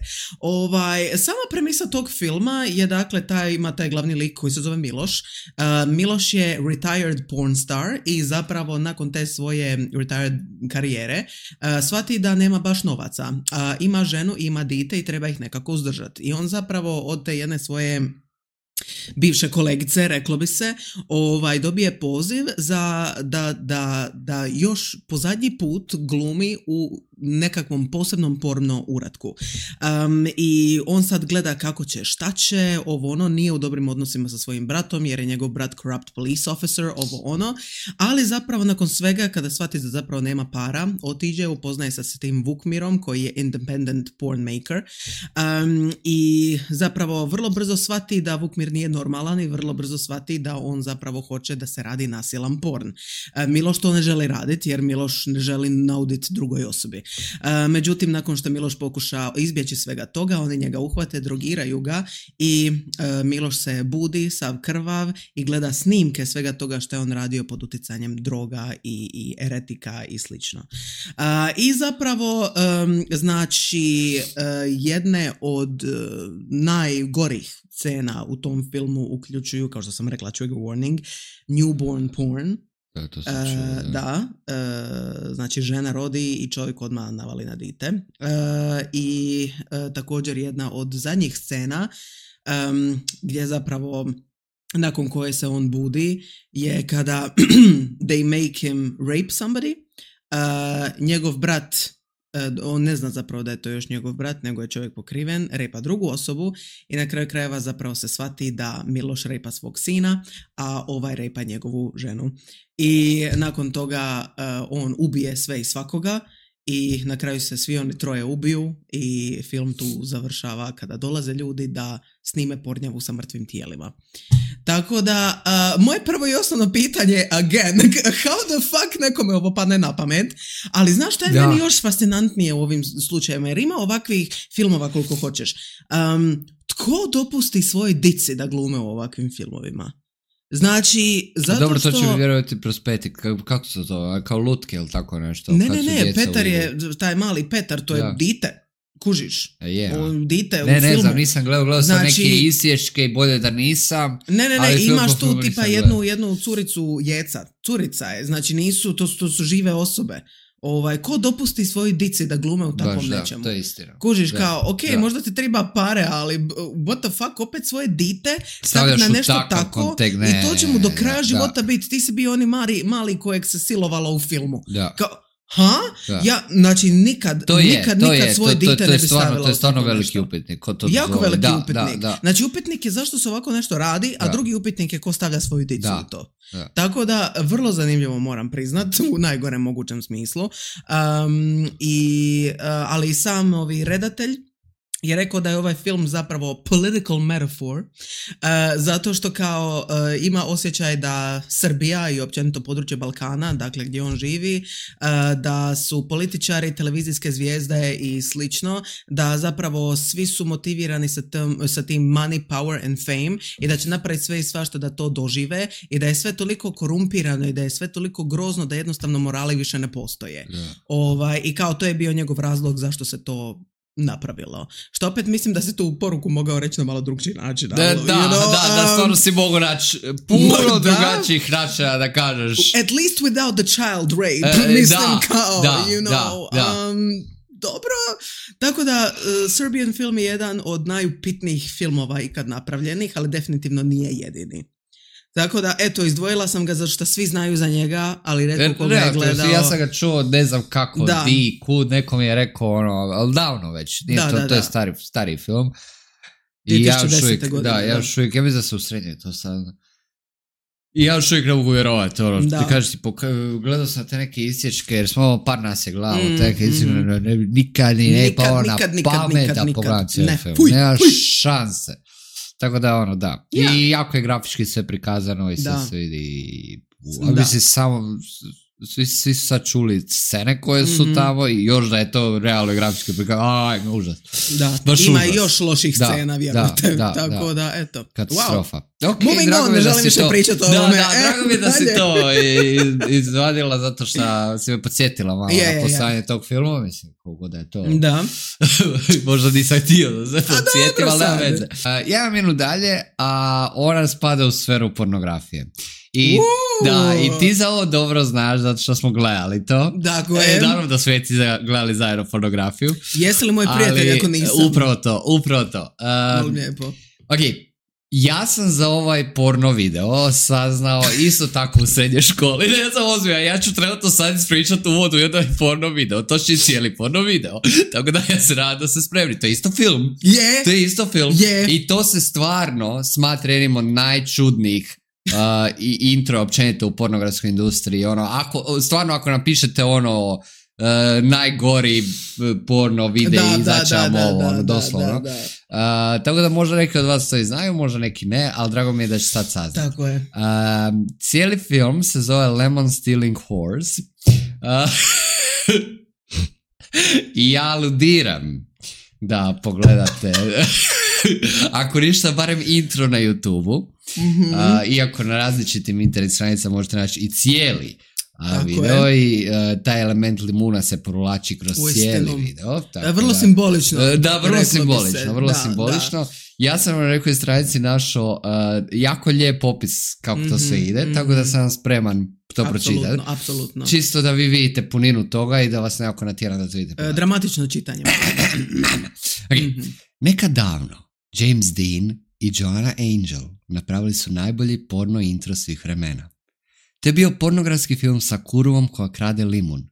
Sama premisa tog filma je dakle ima taj glavni lik koji se zove Miloš. Miloš je retired porn star i zapravo nakon te svoje retired karijere shvati da nema baš novaca. Ima ženu, ima dite i treba ih nekako uzdržati. I on zapravo od te jedne svoje bivše kolegice, reklo bi se, dobije poziv za da još po zadnji put glumi u nekakvom posebnom porno uratku. I on sad gleda kako će, šta će, nije u dobrim odnosima sa svojim bratom jer je njegov brat corrupt police officer, ali zapravo nakon svega kada shvati da zapravo nema para, otiđe, upoznaje se s tim Vukmirom koji je independent porn maker i zapravo vrlo brzo shvati da Vukmir nije normalan i vrlo brzo shvati da on zapravo hoće da se radi nasilan porn. Miloš to ne želi raditi jer Miloš ne želi nauditi drugoj osobi. Međutim, nakon što Miloš pokuša izbjeći svega toga, oni njega uhvate, drogiraju ga i Miloš se budi sav krvav i gleda snimke svega toga što je on radio pod utjecanjem droga i eretika i slično. I zapravo znači jedne od najgorih scena u tom filmu uključuju, kao što sam rekla, trigger warning, newborn porn. Znači žena rodi i čovjek odmah navali na dite. I također jedna od zadnjih scena gdje zapravo nakon koje se on budi je kada they make him rape somebody. Njegov brat, on ne zna zapravo da je to još njegov brat, nego je čovjek pokriven, repa drugu osobu i na kraju krajeva zapravo se shvati da Miloš repa svog sina, a ovaj repa njegovu ženu. I nakon toga on ubije sve i svakoga i na kraju se svi oni troje ubiju i film tu završava kada dolaze ljudi da snime pornjavu sa mrtvim tijelima. Tako da, moje prvo i osnovno pitanje, again, how the fuck nekome ovo padne na pamet, ali znaš šta je meni još fascinantnije u ovim slučajevima, jer ima ovakvih filmova koliko hoćeš. Tko dopusti svojoj dici da glume u ovakvim filmovima? Znači, zato dobro, što... to će mi vjerovati prospetik. Kako se to, kao lutke ili tako nešto? Ne, Petar je, taj mali Petar, to je dite. Kužiš? Dite u filmu. Ne znam, nisam gledao sam neke isječke i bolje da nisam. Ne, imaš tu tipa jednu curicu Jeca. Curica je, znači nisu, to su žive osobe. Ko dopusti svojoj dici da glume u takvom nečemu? To je istina. Kužiš, kao, možda ti treba pare, ali what the fuck, opet svoje dite staviti na nešto tako i to će mu do kraja života biti. Ti si bio oni mali kojeg se silovalo u filmu. Kao, znači nikad svoje dite ne bi stavila. To je stvarno veliki upitnik. Jako veliki upitnik. Znači upitnik je zašto se ovako nešto radi, a drugi upitnik je ko stavlja svoju dicu u to. Tako da, vrlo zanimljivo moram priznat, u najgorem mogućem smislu. Ali sam redatelj je rekao da je ovaj film zapravo political metaphor, zato što kao ima osjećaj da Srbija i općenito područje Balkana, dakle gdje on živi, da su političari, televizijske zvijezde i slično, da zapravo svi su motivirani sa tim money, power and fame i da će napraviti sve i svašta da to dožive i da je sve toliko korumpirano i da je sve toliko grozno da jednostavno morali više ne postoje. I kao to je bio njegov razlog zašto se to napravilo. Što opet mislim da se tu poruku mogao reći na malo drugčiji način. Da, stvarno si mogu naći puno drugačijih načina da kažeš. At least without the child rape. Mislim dobro. Tako da Serbian film je jedan od najupitnijih filmova ikad napravljenih, ali definitivno nije jedini. Tako da, eto, izdvojila sam ga zato što svi znaju za njega, ali redko koga je gledao. Ja sam ga čuo, ne znam kako, kud, neko mi je rekao, ali davno već, to je stari film. 2010. godine. Ja još uvijek, ja mislim da se u srednje to sad. I ja još uvijek ne mogu vjerovati, ti kažeš ti, gledao sam te neke isječke, jer smo par nas je glavo, te neke isječke, nikad ne pao na pamet da pogledam cijeli film, nema šanse. Tako da, da. I jako je grafički sve prikazano i sve se vidi, mislim samo... Svi su sad čuli scene koje su tamo i još da je to realno grafički prikaz, užas. Da, ima i još loših scena, vjerujte. Tako da, eto. Katastrofa. Okay, moving on, ne želim više pričati o ovome. Drago mi je da si to izvadila zato što si me podsjetila malo na postojanje tog filma, mislim, koliko da je to. Da. Možda nisam htio da se podsjetim, ali nema veze. Jedan minut dalje, a ona spada u sferu pornografije. I ti za ovo dobro znaš zato što smo gledali to. Dakle. Naravno da smo gledali zajedno pornografiju. Jesi li moj prijatelj ako nisam? Upravo to. Lijepo. Ok, ja sam za ovaj porno video saznao isto tako u srednjoj školi. Ne znam ozbiljno, ja ću trenutno sad ispričati uvod u jedan porno video. To će cijeli porno video. Tako da ja se nadam da se spremni. To je isto film. To je isto film. I to se stvarno smatra jednim od najčudnijih i intro općenito u pornografskoj industriji. Ako napišete najgori porno videi izaći vam ovo, doslovno. Tako da možda neki od vas to i znaju, možda neki ne, ali drago mi je da će sad saznati. Tako je. Cijeli film se zove Lemon Stealing Horse. I ja aludiram da pogledate ako ništa, barem intro na YouTube-u. Iako na različitim internet stranicama možete naći i cijeli video i taj element limuna se provlači kroz cijeli video. Vrlo simbolično. Da, vrlo simbolično. Ja sam na nekoj stranici našao jako lijep opis kako to sve ide, tako da sam spreman to pročitati. Apsolutno. Čisto da vi vidite puninu toga i da vas nekako natjera da to vidite. Dramatično čitanje. Nekad davno James Dean i Joanna Angel napravili su najbolji porno intro svih vremena. To je bio pornografski film sa kurvom koja krade limun.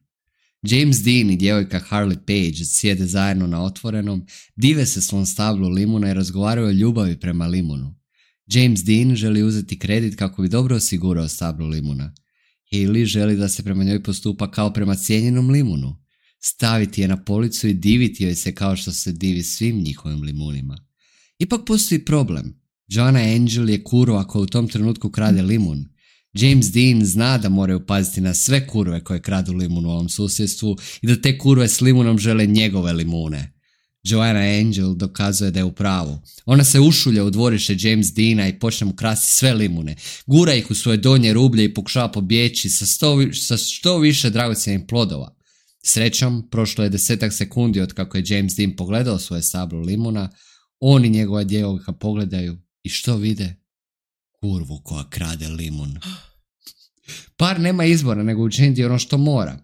James Dean i djevojka Harley Page sjede zajedno na otvorenom, dive se svom stablu limuna i razgovaraju o ljubavi prema limunu. James Dean želi uzeti kredit kako bi dobro osigurao stablu limuna. Hailey želi da se prema njoj postupa kao prema cijenjenom limunu. Staviti je na policu i diviti joj se kao što se divi svim njihovim limunima. Ipak postoji problem. Joanna Angel je kurva koja u tom trenutku krade limun. James Dean zna da moraju paziti na sve kurve koje kradu limun u ovom susjedstvu i da te kurve s limunom žele njegove limune. Joanna Angel dokazuje da je u pravu. Ona se ušulja u dvorište James Deana i počne mu krasti sve limune. Gura ih u svoje donje rublje i pokušava pobjeći sa što više dragocjenih plodova. Srećom, prošlo je 10 sekundi od kako je James Dean pogledao svoje stablo limuna. On i njegova djevojka pogledaju i što vide? Kurvu koja krade limun. Par nema izbora nego učiniti ono što mora.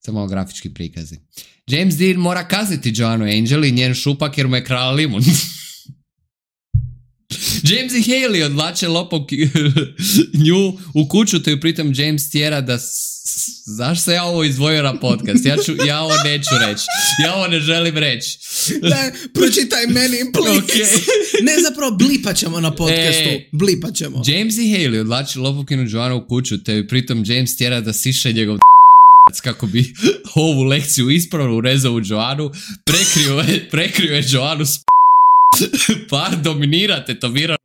Samo malo grafički prikazi. James Dean mora kazniti Joannu Angel i njen šupak jer mu je krala limun. James i Hailey odvlače lopom nju u kuću, te ju pritom James tjera da... Zašto se ja ovo izdvojio na podcast? Ja ovo neću reći. Ja ovo ne želim reći. Da, pročitaj meni, please. Okay. Ne, zapravo blipat ćemo na podcastu. Blipat ćemo. James i Hailey odvlače lopokinu Joannu u kuću, te ju pritom James tjera da siše njegov kako bi ovu lekciju ispravno urezao u Joannu, prekrio je Joannu s par dominira tetovira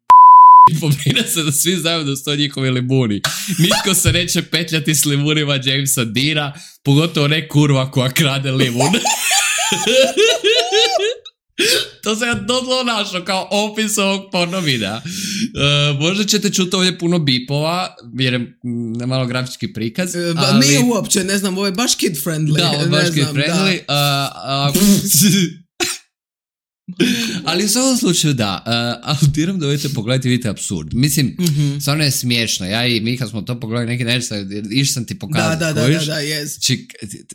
i pobrine se da svi znaju da su to njihovi limuni. Nitko se neće petljati s limunima Jamesa Deana, pogotovo ne kurva koja krade limun. To se ja dodlo našao kao opis ovog porno videa. Možda ćete čuti ovdje puno bipova, jer je malo grafički prikaz. Ali... Nije uopće, ne znam, ovo je baš kid friendly. Da, ovo je baš kid friendly. Ali u svakom slučaju da, aludiram da vidite pogledajte, vidite absurd. Mislim, stvarno je smiješno. Ja i mi kad smo to pogledali neki nešto, išli sam ti pokazati. Da, yes.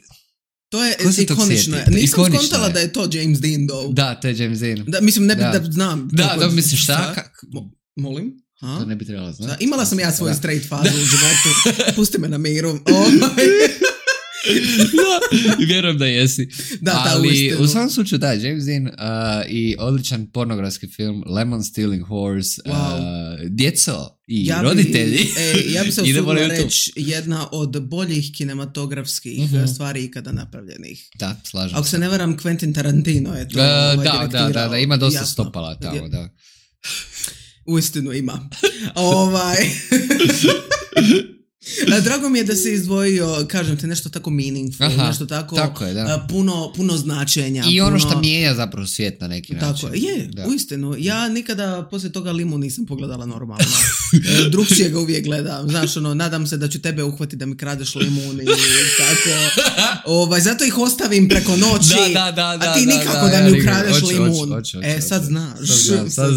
To je ikonično. Nisam skontala da je to James Dean, though. Da, to je James Dean. Da, mislim, ne bi da znam. Da, mislim šta? Molim? To ne bi trebalo znati. Imala sam ja svoju straight fazu u životu. Pusti me na miru. I vjerujem da jesi. Ali u svakom slučaju da, James Dean i odličan pornografski film Lemon Stealing Horse, djeco i roditelji. Ja bi se usudila reći jedna od boljih kinematografskih stvari ikada napravljenih. Da, slažem. Ako se ne varam, Quentin Tarantino je to da, ima dosta stopala tamo, da. Uistinu ima. Drago mi je da se izdvojio, kažem te, nešto tako meaningful, nešto tako je, puno značenja. I ono što mijenja zapravo svijet na neki način. Tako je, uistinu. Ja nikada poslije toga Limu nisam pogledala normalno. Drugčije ga uvijek gledam. Znaš, nadam se da ću tebe uhvatiti da mi kradeš limun i tako. Zato ih ostavim preko noći, a ti nikako da mi ukradeš limun. Sad znaš. Sad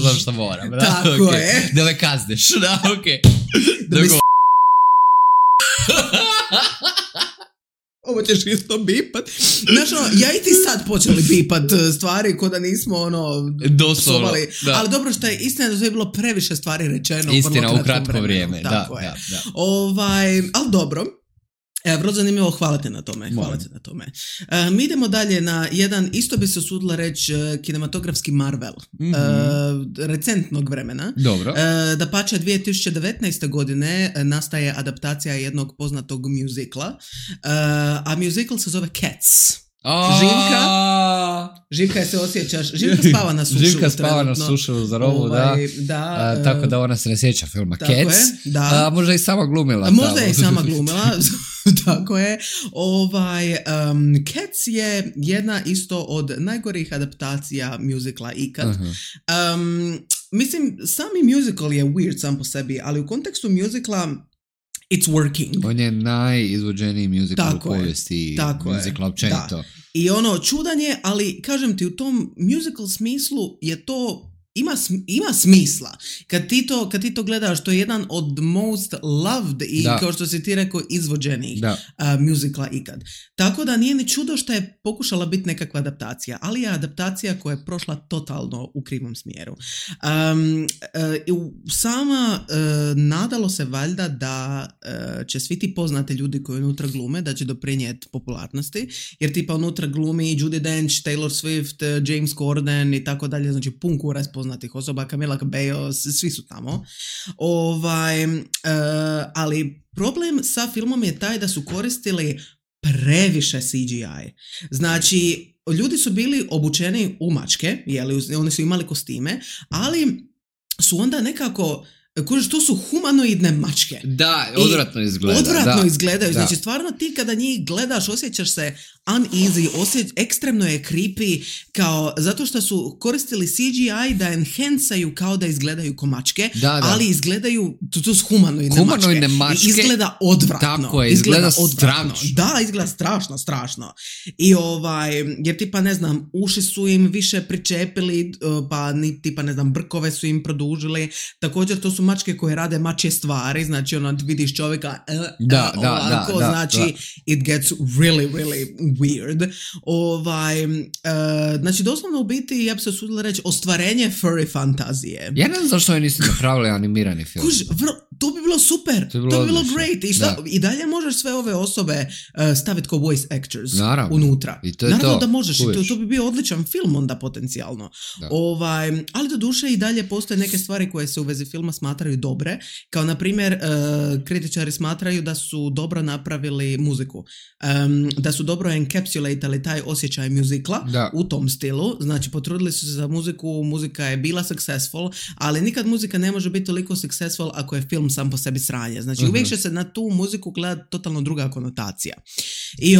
znam što moram. Tako je. Da me kazniš. Da, okej. Ovo ćeš isto bipat. Znaš, ja i ti sad počeli bipat stvari ko da nismo psovali. Ali dobro što je istina da je bilo previše stvari rečeno. Istina, u kratko vrijeme. Da. Ali dobro. Vrlo zanimljivo, hvala ti na tome. Mi idemo dalje na jedan, isto bi se usudila reći, kinematografski Marvel. Recentnog vremena. Dobro. Dapače, 2019. godine nastaje adaptacija jednog poznatog muzikla, a muzikl se zove Cats. Živka se osjećaš. Živka spava na sušu. Živka spava na sušu za rovu, da. Tako da ona se ne sjeća filma Cats. A možda i sama glumila. Možda i sama glumila. Tako je. Cats je jedna isto od najgorih adaptacija muzikla ikad. Mislim, sami musical je weird sam po sebi, ali u kontekstu muzikla it's working. On je najizvođeniji musical u povijesti muzikla općenito. I čudan je, ali kažem ti, u tom musical smislu je to ima smisla. Kad ti to gledaš, to je jedan od most loved i kao što si ti rekao, izvođenih musicala ikad. Tako da nije ni čudo što je pokušala biti nekakva adaptacija, ali je adaptacija koja je prošla totalno u krivom smjeru. Sama nadalo se valjda da će svi ti poznati ljudi koji unutra glume, da će doprinijeti popularnosti, jer tipa unutra glumi Judi Dench, Taylor Swift, James Corden i tako dalje, znači pun kurac poznatih osoba, Camila Cabello, svi su tamo. Ali problem sa filmom je taj da su koristili previše CGI. Znači, ljudi su bili obučeni u mačke, oni su imali kostime, ali su onda nekako, to su humanoidne mačke. Da, odvratno izgleda. Odvratno izgledaju. Znači, stvarno ti kada njih gledaš, osjećaš se uneasy, ekstremno je creepy, zato što su koristili CGI da enhancaju kao da izgledaju ko mačke, ali izgledaju, to su humanoidne mačke. I izgleda odvratno. Tako je, izgleda strašno. Da, izgleda strašno. I jer tipa, ne znam, uši su im više pričepili, pa tipa, ne znam, brkove su im produžili. Također, to su mačke koje rade mačje stvari, znači vidiš čovjeka znači it gets really, really weird. Znači doslovno u biti, ja bi se usudila reći, ostvarenje furry fantazije. Ja ne znam zašto oni nisu napravili animirani film. To bi bilo super, to bi bilo great. I dalje možeš sve ove osobe staviti kao voice actors unutra. Naravno da možeš, to bi bio odličan film onda potencijalno. Ali do duše i dalje postoje neke stvari koje se u vezi filma smatraju dobre, kao na primjer kritičari smatraju da su dobro napravili muziku, da su dobro encapsulatali taj osjećaj muzikla u tom stilu, znači potrudili su se za muziku, muzika je bila successful, ali nikad muzika ne može biti toliko successful ako je film sam po sebi sranje, znači uvijek će se na tu muziku gledati totalno druga konotacija. I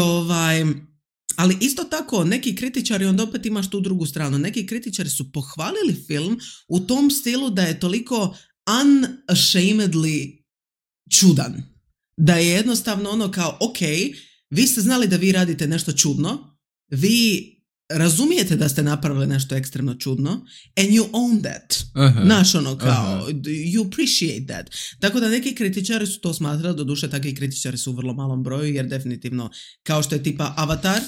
ali isto tako, neki kritičari, onda opet imaš tu drugu stranu, neki kritičari su pohvalili film u tom stilu da je toliko unashamedly čudan. Da je jednostavno kao, ok, vi ste znali da vi radite nešto čudno, vi razumijete da ste napravili nešto ekstremno čudno, and you own that. Naš kao, you appreciate that. Tako da neki kritičari su to smatrali, doduše takvi kritičari su u vrlo malom broju, jer definitivno, kao što je tipa Avatar,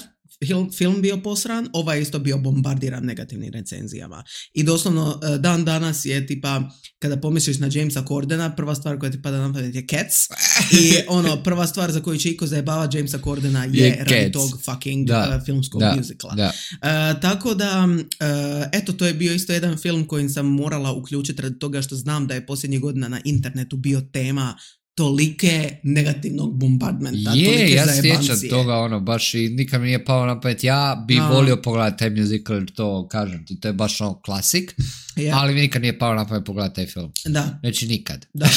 film bio posran, ovaj je isto bio bombardiran negativnim recenzijama. I doslovno dan danas je tipa, kada pomisliš na Jamesa Cordena, prva stvar koja ti pada na pamet je Cats. I prva stvar za koju će iko zajebava Jamesa Cordena je radi tog fucking filmskog musicala. Tako da, eto, to je bio isto jedan film kojim sam morala uključiti radi toga što znam da je posljednjih godina na internetu bio tema tolike negativnog bombardmenta, tolike zajebancije. Ja sjećam toga, baš i nikad mi nije pao na pamet. Ja bi volio pogledati taj musical, to kažem ti, to je baš klasik, ali mi nikad nije pao na pamet pogledati taj film. Da. Znači nikad. Da.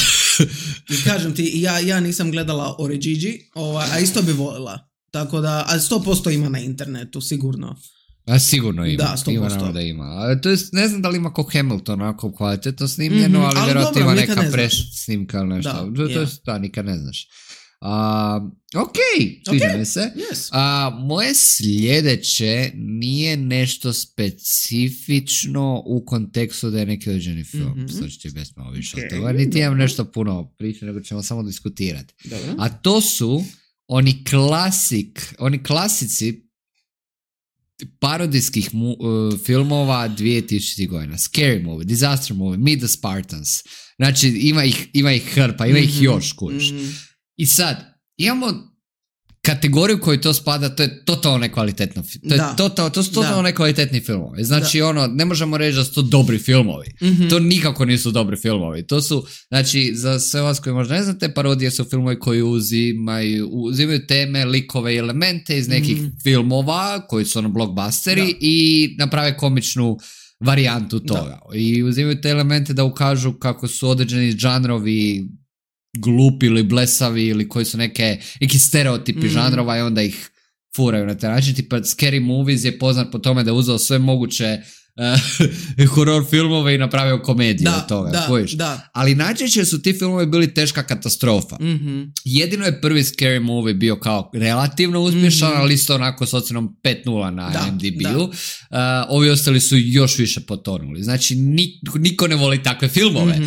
I kažem ti, ja nisam gledala Origigi, a isto bi volila. Tako da, ali 100% ima na internetu, sigurno. A sigurno ima, da, 100%. Ima da ima. To je, ne znam da li ima ko Hamilton onako kvalitetno snimljeno, ali vjerojatno ima neka snimka ili nešto. Da, nikad ne znaš. Ok, sviđa mi se. Yes. Moje sljedeće nije nešto specifično u kontekstu da je neki određeni film. Sad ću ti bez malo više od toga. Niti imam nešto puno priče, nego ćemo samo diskutirati. Dobro. A to su oni klasici parodijskih filmova 2000 godina. Scary Movie, Disaster Movie, Meet the Spartans. Znači, ima ih hrpa, ima ih još, kužiš. I sad, imamo kategoriju koju to spada, to je totalno nekvalitetno. To su totalno nekvalitetni filmovi. Znači, ne možemo reći da su to dobri filmovi. To nikako nisu dobri filmovi. To su, znači, za sve vas koji možda ne znate, parodije su filmovi koji uzimaju teme, likove i elemente iz nekih filmova koji su blockbusteri i naprave komičnu varijantu toga. I uzimaju te elemente da ukažu kako su određeni žanrovi glupi ili blesavi ili koji su neki stereotipi žanrova i onda ih furaju na taj način. Tipa Scary Movies je poznat po tome da je uzeo sve moguće horror filmove i napravio komediju od toga. Ali najčešće su ti filmovi bili teška katastrofa. Jedino je prvi Scary Movie bio kao relativno uspješan, ali isto onako s ocjenom 5.0 na IMDb-u. Ovi ostali su još više potonuli. Znači niko ne voli takve filmove.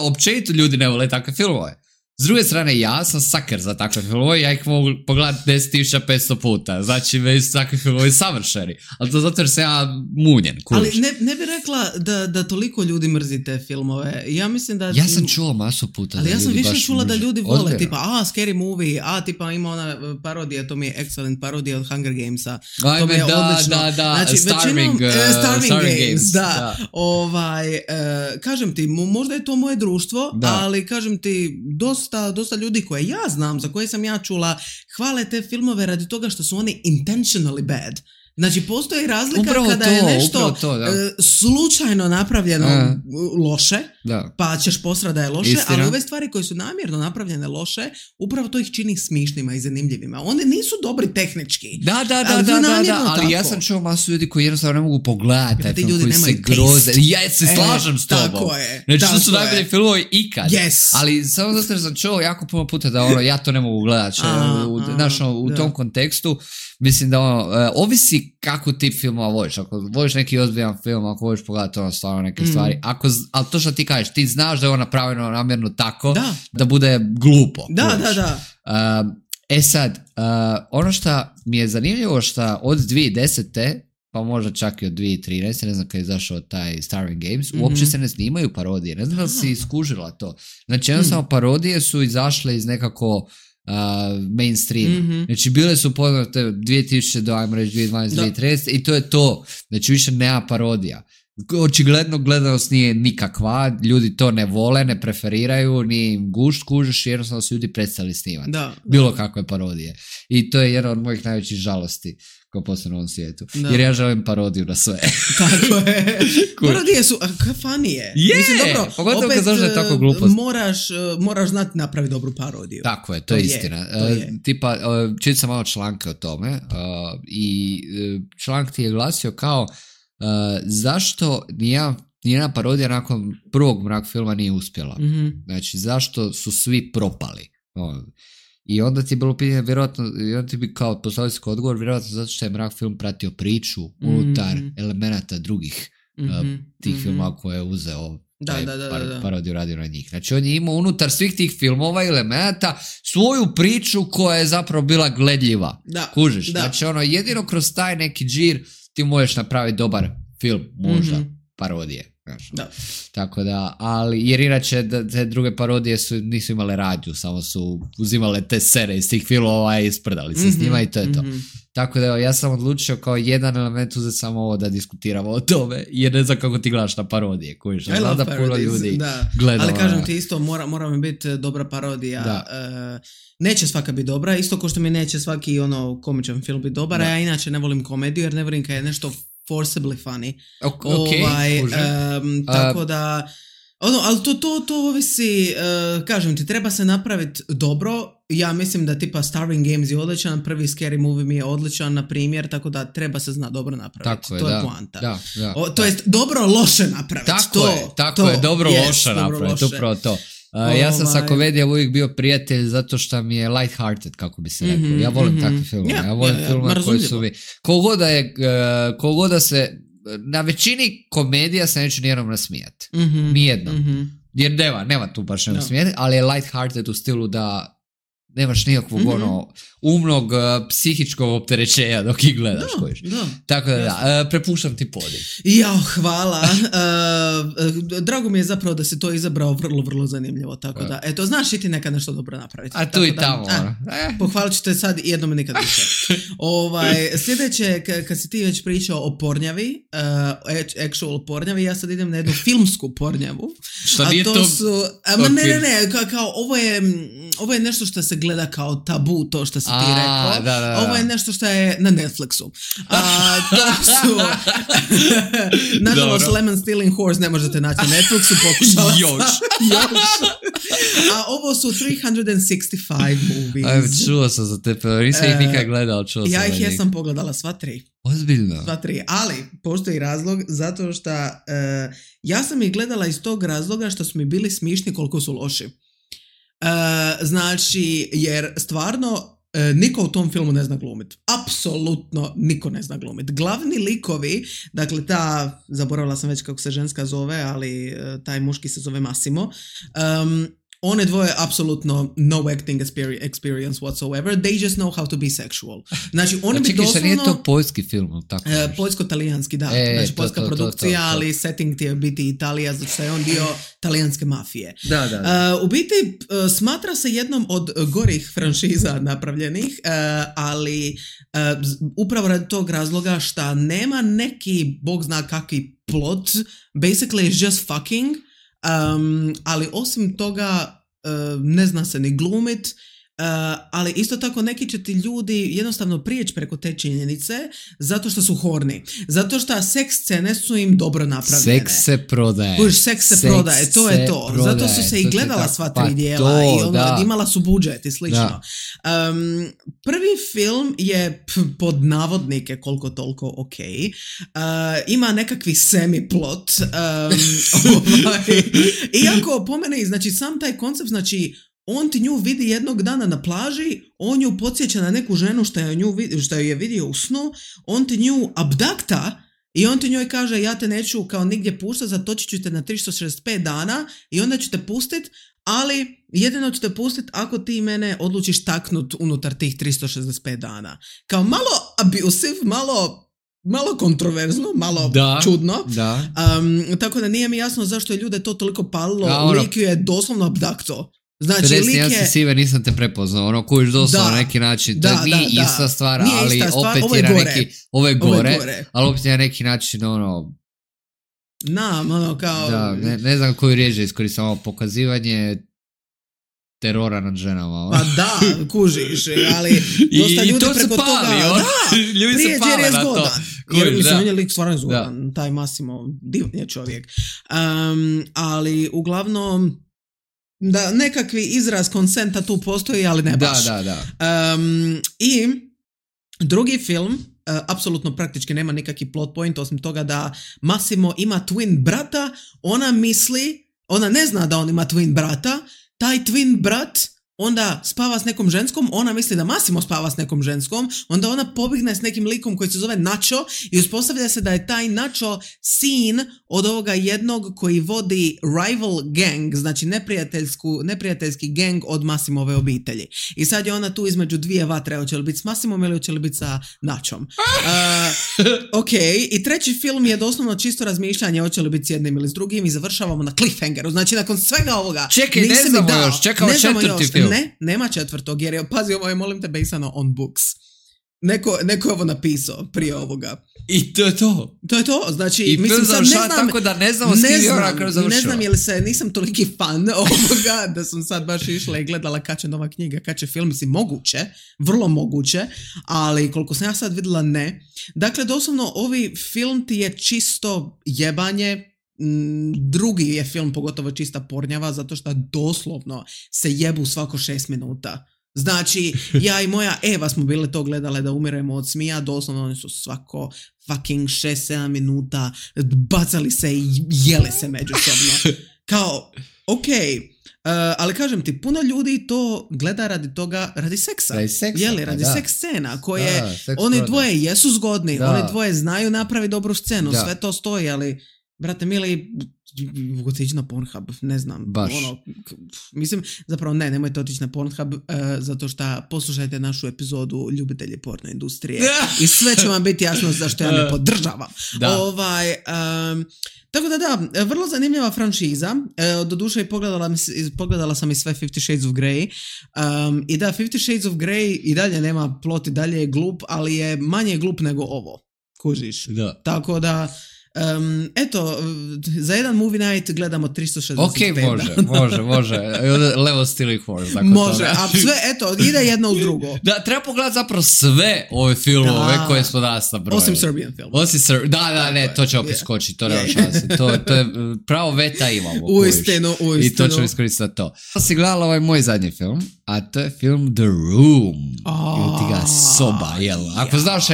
Općenito ljudi ne vole takve filmove. S druge strane, ja sam sucker za takve filmove, ja ih mogu pogledati 10.500 puta, znači već su takvi filmovi savršeni, ali to zato jer sam ja munjen, kužiš. Ali ne bi rekla da toliko ljudi mrzi te filmove, ja mislim da... Ja sam čuo masu puta ali da ljudi baš ja sam više čula da ljudi vole, odbjeno. tipa, Scary Movie, tipa ima ona parodija, to mi je excellent parodija od Hunger Gamesa, to mi je odlično. Znači, Starving Games, da. Kažem ti, možda je to moje društvo, ali kažem ti, dosta ljudi koje ja znam, za koje sam ja čula, hvale te filmove radi toga što su oni intentionally bad. Znači, postoji razlika kada je nešto slučajno napravljeno loše, pa ćeš posrati da je loše, ali ove stvari koje su namjerno napravljene loše, upravo to ih čini smišnima i zanimljivima. One nisu dobri tehnički. Ali ja sam čuo masu ljudi koji jednostavno ne mogu pogledati taj film, koji se groze. Ja se slažem s tobom. Znači, to su najbolji filmovi ikad. Ali samo zato jer sam čuo jako puno puta da ja to ne mogu gledati. U tom kontekstu, mislim da ovisi kako ti filmova voliš. Ako voliš neki ozbiljan film, ako voliš pogledati stvarno neke stvari, ali to što ti kažeš, ti znaš da je ono napravljeno namjerno tako da bude glupo. Sad, ono što mi je zanimljivo što od 2010. pa možda čak i od 2013. ne znam kada je izašao taj Starving Games, uopće se ne snimaju parodije. Ne znam da si iskužila to. Znači, jednostavno parodije su izašle iz nekako mainstream. Znači, bile su poznate 2000 do, ajmo reći, 2012, 2013 i to je to. Znači, više nema parodija. Očigledno gledanost nije nikakva, ljudi to ne vole, ne preferiraju, ni im kužiš, jednostavno su ljudi prestali snimati. Bilo kakve parodije. I to je jedna od mojih najvećih žalosti kao postoje na ovom svijetu. Jer ja želim parodiju na sve. Tako je. Parodije su funije. Mislim, dobro, pogotovo kad znaš da je tako glupost. Moraš znati napraviti dobru parodiju. Tako je, to je istina. Tipa, čitao sam malo članke o tome i članak ti je glasio kao zašto nijedna parodija nakon prvog Mrak filma nije uspjela. Znači, zašto su svi propali. I onda ti je bilo pitanje, vjerojatno, i onda ti bi kao postavili se kao odgovor, vjerojatno zato što je Mrak film pratio priču unutar elemenata drugih tih filma koje je uzeo parodiju radio na njih. Znači on je imao unutar svih tih filmova i elemenata svoju priču koja je zapravo bila gledljiva. Kužiš? Znači jedino kroz taj neki džir ti možeš napraviti dobar film, možda, parodije. Tako da, ali jer inače te druge parodije nisu imale radnju, samo su uzimale te sere iz tih filmova i isprdali se s njima i to je to. Tako da ja sam odlučio kao jedan element uzeti samo ovo da diskutiramo o tome, jer ne znam kako ti gledaš na parodije, kojiš. Znam da puno ljudi gleda. Ali kažem ti isto, mora mi biti dobra parodija. Neće svaka biti dobra, isto kao što mi neće svaki komičan film biti dobar, a ja inače ne volim komediju jer ne volim kad je nešto forcibly funny. Tako da ali to ovisi, kažem ti, treba se napraviti dobro. Ja mislim da tipa Starving Games je odličan, prvi Scary Movie mi je odličan, na primjer, tako da treba se zna dobro napraviti. To je poanta. To jest dobro loše napraviti. Tako je, dobro loše napraviti, upravo to. Ja sam sa komedijom uvijek bio prijatelj zato što mi je light-hearted, kako bi se rekao. Ja volim takve filmove. Ja volim filmove koji su mi... Kogoda da se... Na većini komedija se neću nijednom nasmijati. Nijednom. Jer nema tu baš nasmijati, ali je light-hearted u stilu da nemaš nikakvog umnog psihičkog opterećenja dok ih gledaš. Tako da, prepuštam ti podiv. Hvala. Drago mi je zapravo da si to izabrao vrlo, vrlo zanimljivo. Tako da, eto, znaš i ti nekad nešto dobro napraviti. A tu i tamo. Pohvalit ću te sad i jednom nikad više. Sljedeće, kad si ti već pričao o pornjavi, actual pornjavi, ja sad idem na jednu filmsku pornjavu. Što nije to? Ne, kao ovo je nešto što se gleda kao tabu, to što si ti rekao. Ovo je nešto što je na Netflixu. To su... Nažalost, Lemon Stealing Horse ne možete naći na Netflixu, pokušala Još. A ovo su 365 movies. Čuo sam za te, nisam ih nikad gledao, čuo sam. Ja ih jesam pogledala sva 3. Ozbiljno. Sva 3, ali postoji razlog zato što ja sam ih gledala iz tog razloga što su mi bili smišni koliko su loši. Znači, jer stvarno niko u tom filmu ne zna glumit. Apsolutno niko ne zna glumit. Glavni likovi, dakle zaboravila sam već kako se ženska zove, ali taj muški se zove Massimo. One dvoje apsolutno no acting experience whatsoever. They just know how to be sexual. Znači, oni bi doslovno... Nije to poljski film, tako? Poljsko-talijanski, da. Znači, poljska produkcija, ali setting ti je biti Italija, zato što je on dio talijanske mafije. U biti, smatra se jednom od gorih franšiza napravljenih, ali upravo radi tog razloga što nema neki, bog zna kakvi plot, basically is just fucking. Ali osim toga ne zna se ni glumit, ali isto tako neki će ti ljudi jednostavno prijeći preko te činjenice zato što su horni, zato što seks scene su im dobro napravljene. Seks se prodaje. Seks se prodaje, to je to. Prodaje. Zato su se i gledala sva 3 dijela i imala su budžet i slično. Prvi film je pod navodnike koliko toliko ok. Ima nekakvi semi-plot. Iako po mene, znači sam taj koncept, znači on ti nju vidi jednog dana na plaži, on ju podsjeća na neku ženu što ju je vidio u snu, on ti nju abdakta i on ti njoj kaže ja te neću kao nigdje puštati, zatočit ću te na 365 dana i onda ću te pustit, ali jedino ću te pustit ako ti mene odlučiš taknut unutar tih 365 dana. Kao malo abusive, malo kontroverzno, malo čudno. Tako da nije mi jasno zašto je ljude to toliko palilo. Lik ju je doslovno abdakto. Znači, 51 si sive, nisam te prepoznao, kojiš doslovno na neki način, to nije ista stvar, ali opet je na neki, ovo je gore, ali opet je na neki način, kao... ne znam koju riječ iskoristim, pokazivanje terora nad ženama. Pa da, kužiš, ali dosta ljudi preko toga... Ljudi se pale na to. Jer mislim, on je lik stvarno zgodan, taj Massimo, divan je čovjek. Ali uglavnom... Da, nekakvi izraz konsenta tu postoji, ali ne baš. I drugi film, apsolutno praktički nema nikakvi plot point, osim toga da Massimo ima twin brata, ona ne zna da on ima twin brata, taj twin brat onda spava s nekom ženskom, ona misli da Massimo spava s nekom ženskom, onda ona pobigne s nekim likom koji se zove Nacho i uspostavlja se da je taj Nacho sin od ovoga jednog koji vodi rival gang, znači neprijateljski gang od Massimove obitelji. I sad je ona tu između dvije vatre, hoće li biti s Massimom ili hoće li biti sa Nachom. Ok, i treći film je doslovno čisto razmišljanje hoće li biti s jednim ili s drugim i završavamo na cliffhangeru. Znači nakon svega ovoga čekaj, ne znamo još, čekamo četvrti film. Ne, nema četvrtog jer je, pazi, ovo je, molim te, basano on books. Neko je ovo napisao prije ovoga. I to je to. To je to, znači... I mislim sad ne znam... Tako da ne znamo s kim je ona kada završava. Ne znam je li se, nisam toliki fan ovoga da sam sad baš išla i gledala kad će nova knjiga, kad će film, mislim, moguće, vrlo moguće, ali koliko sam ja sad vidjela ne. Dakle, doslovno, ovi film ti je čisto jebanje. Drugi je film pogotovo čista pornjava zato što doslovno se jebu svako 6 minuta. Znači, ja i moja Eva smo bile to gledale da umiremo od smija, doslovno oni su svako fucking 6-7 minuta bacali se i jele se međusobno. Kao, ali kažem ti, puno ljudi to gleda radi seksa. Radi seks scena koje oni dvoje jesu zgodni, oni dvoje znaju napraviti dobru scenu, sve to stoji, ali brate mili, otići na Pornhub, ne znam. Baš. Mislim, zapravo nemojte otići na Pornhub, zato što poslušajte našu epizodu Ljubitelji porno industrije i sve će vam biti jasno zašto ja ne podržavam. Tako da, vrlo zanimljiva franšiza. Doduše pogledala sam i sve 50 Shades of Grey. I da, 50 Shades of Grey i dalje nema plot, i dalje je glup, ali je manje glup nego ovo. Kužiš? Da. Tako da, eto, za jedan movie night gledamo 365. Ok, može. Level Stealing Horse. Može, a sve, eto, ide jedno uz drugo. Da, treba pogledati zapravo sve ove filmove koje smo danas nabrojili. Osim Serbian film. Ne, to će opet skočiti, to nema šanse. To je pravo veta imamo. Uistinu. I to ćemo iskoristiti to. Si gledala ovaj moj zadnji film, a to je film The Room. Ili ti ga Soba, jel? Ako znaš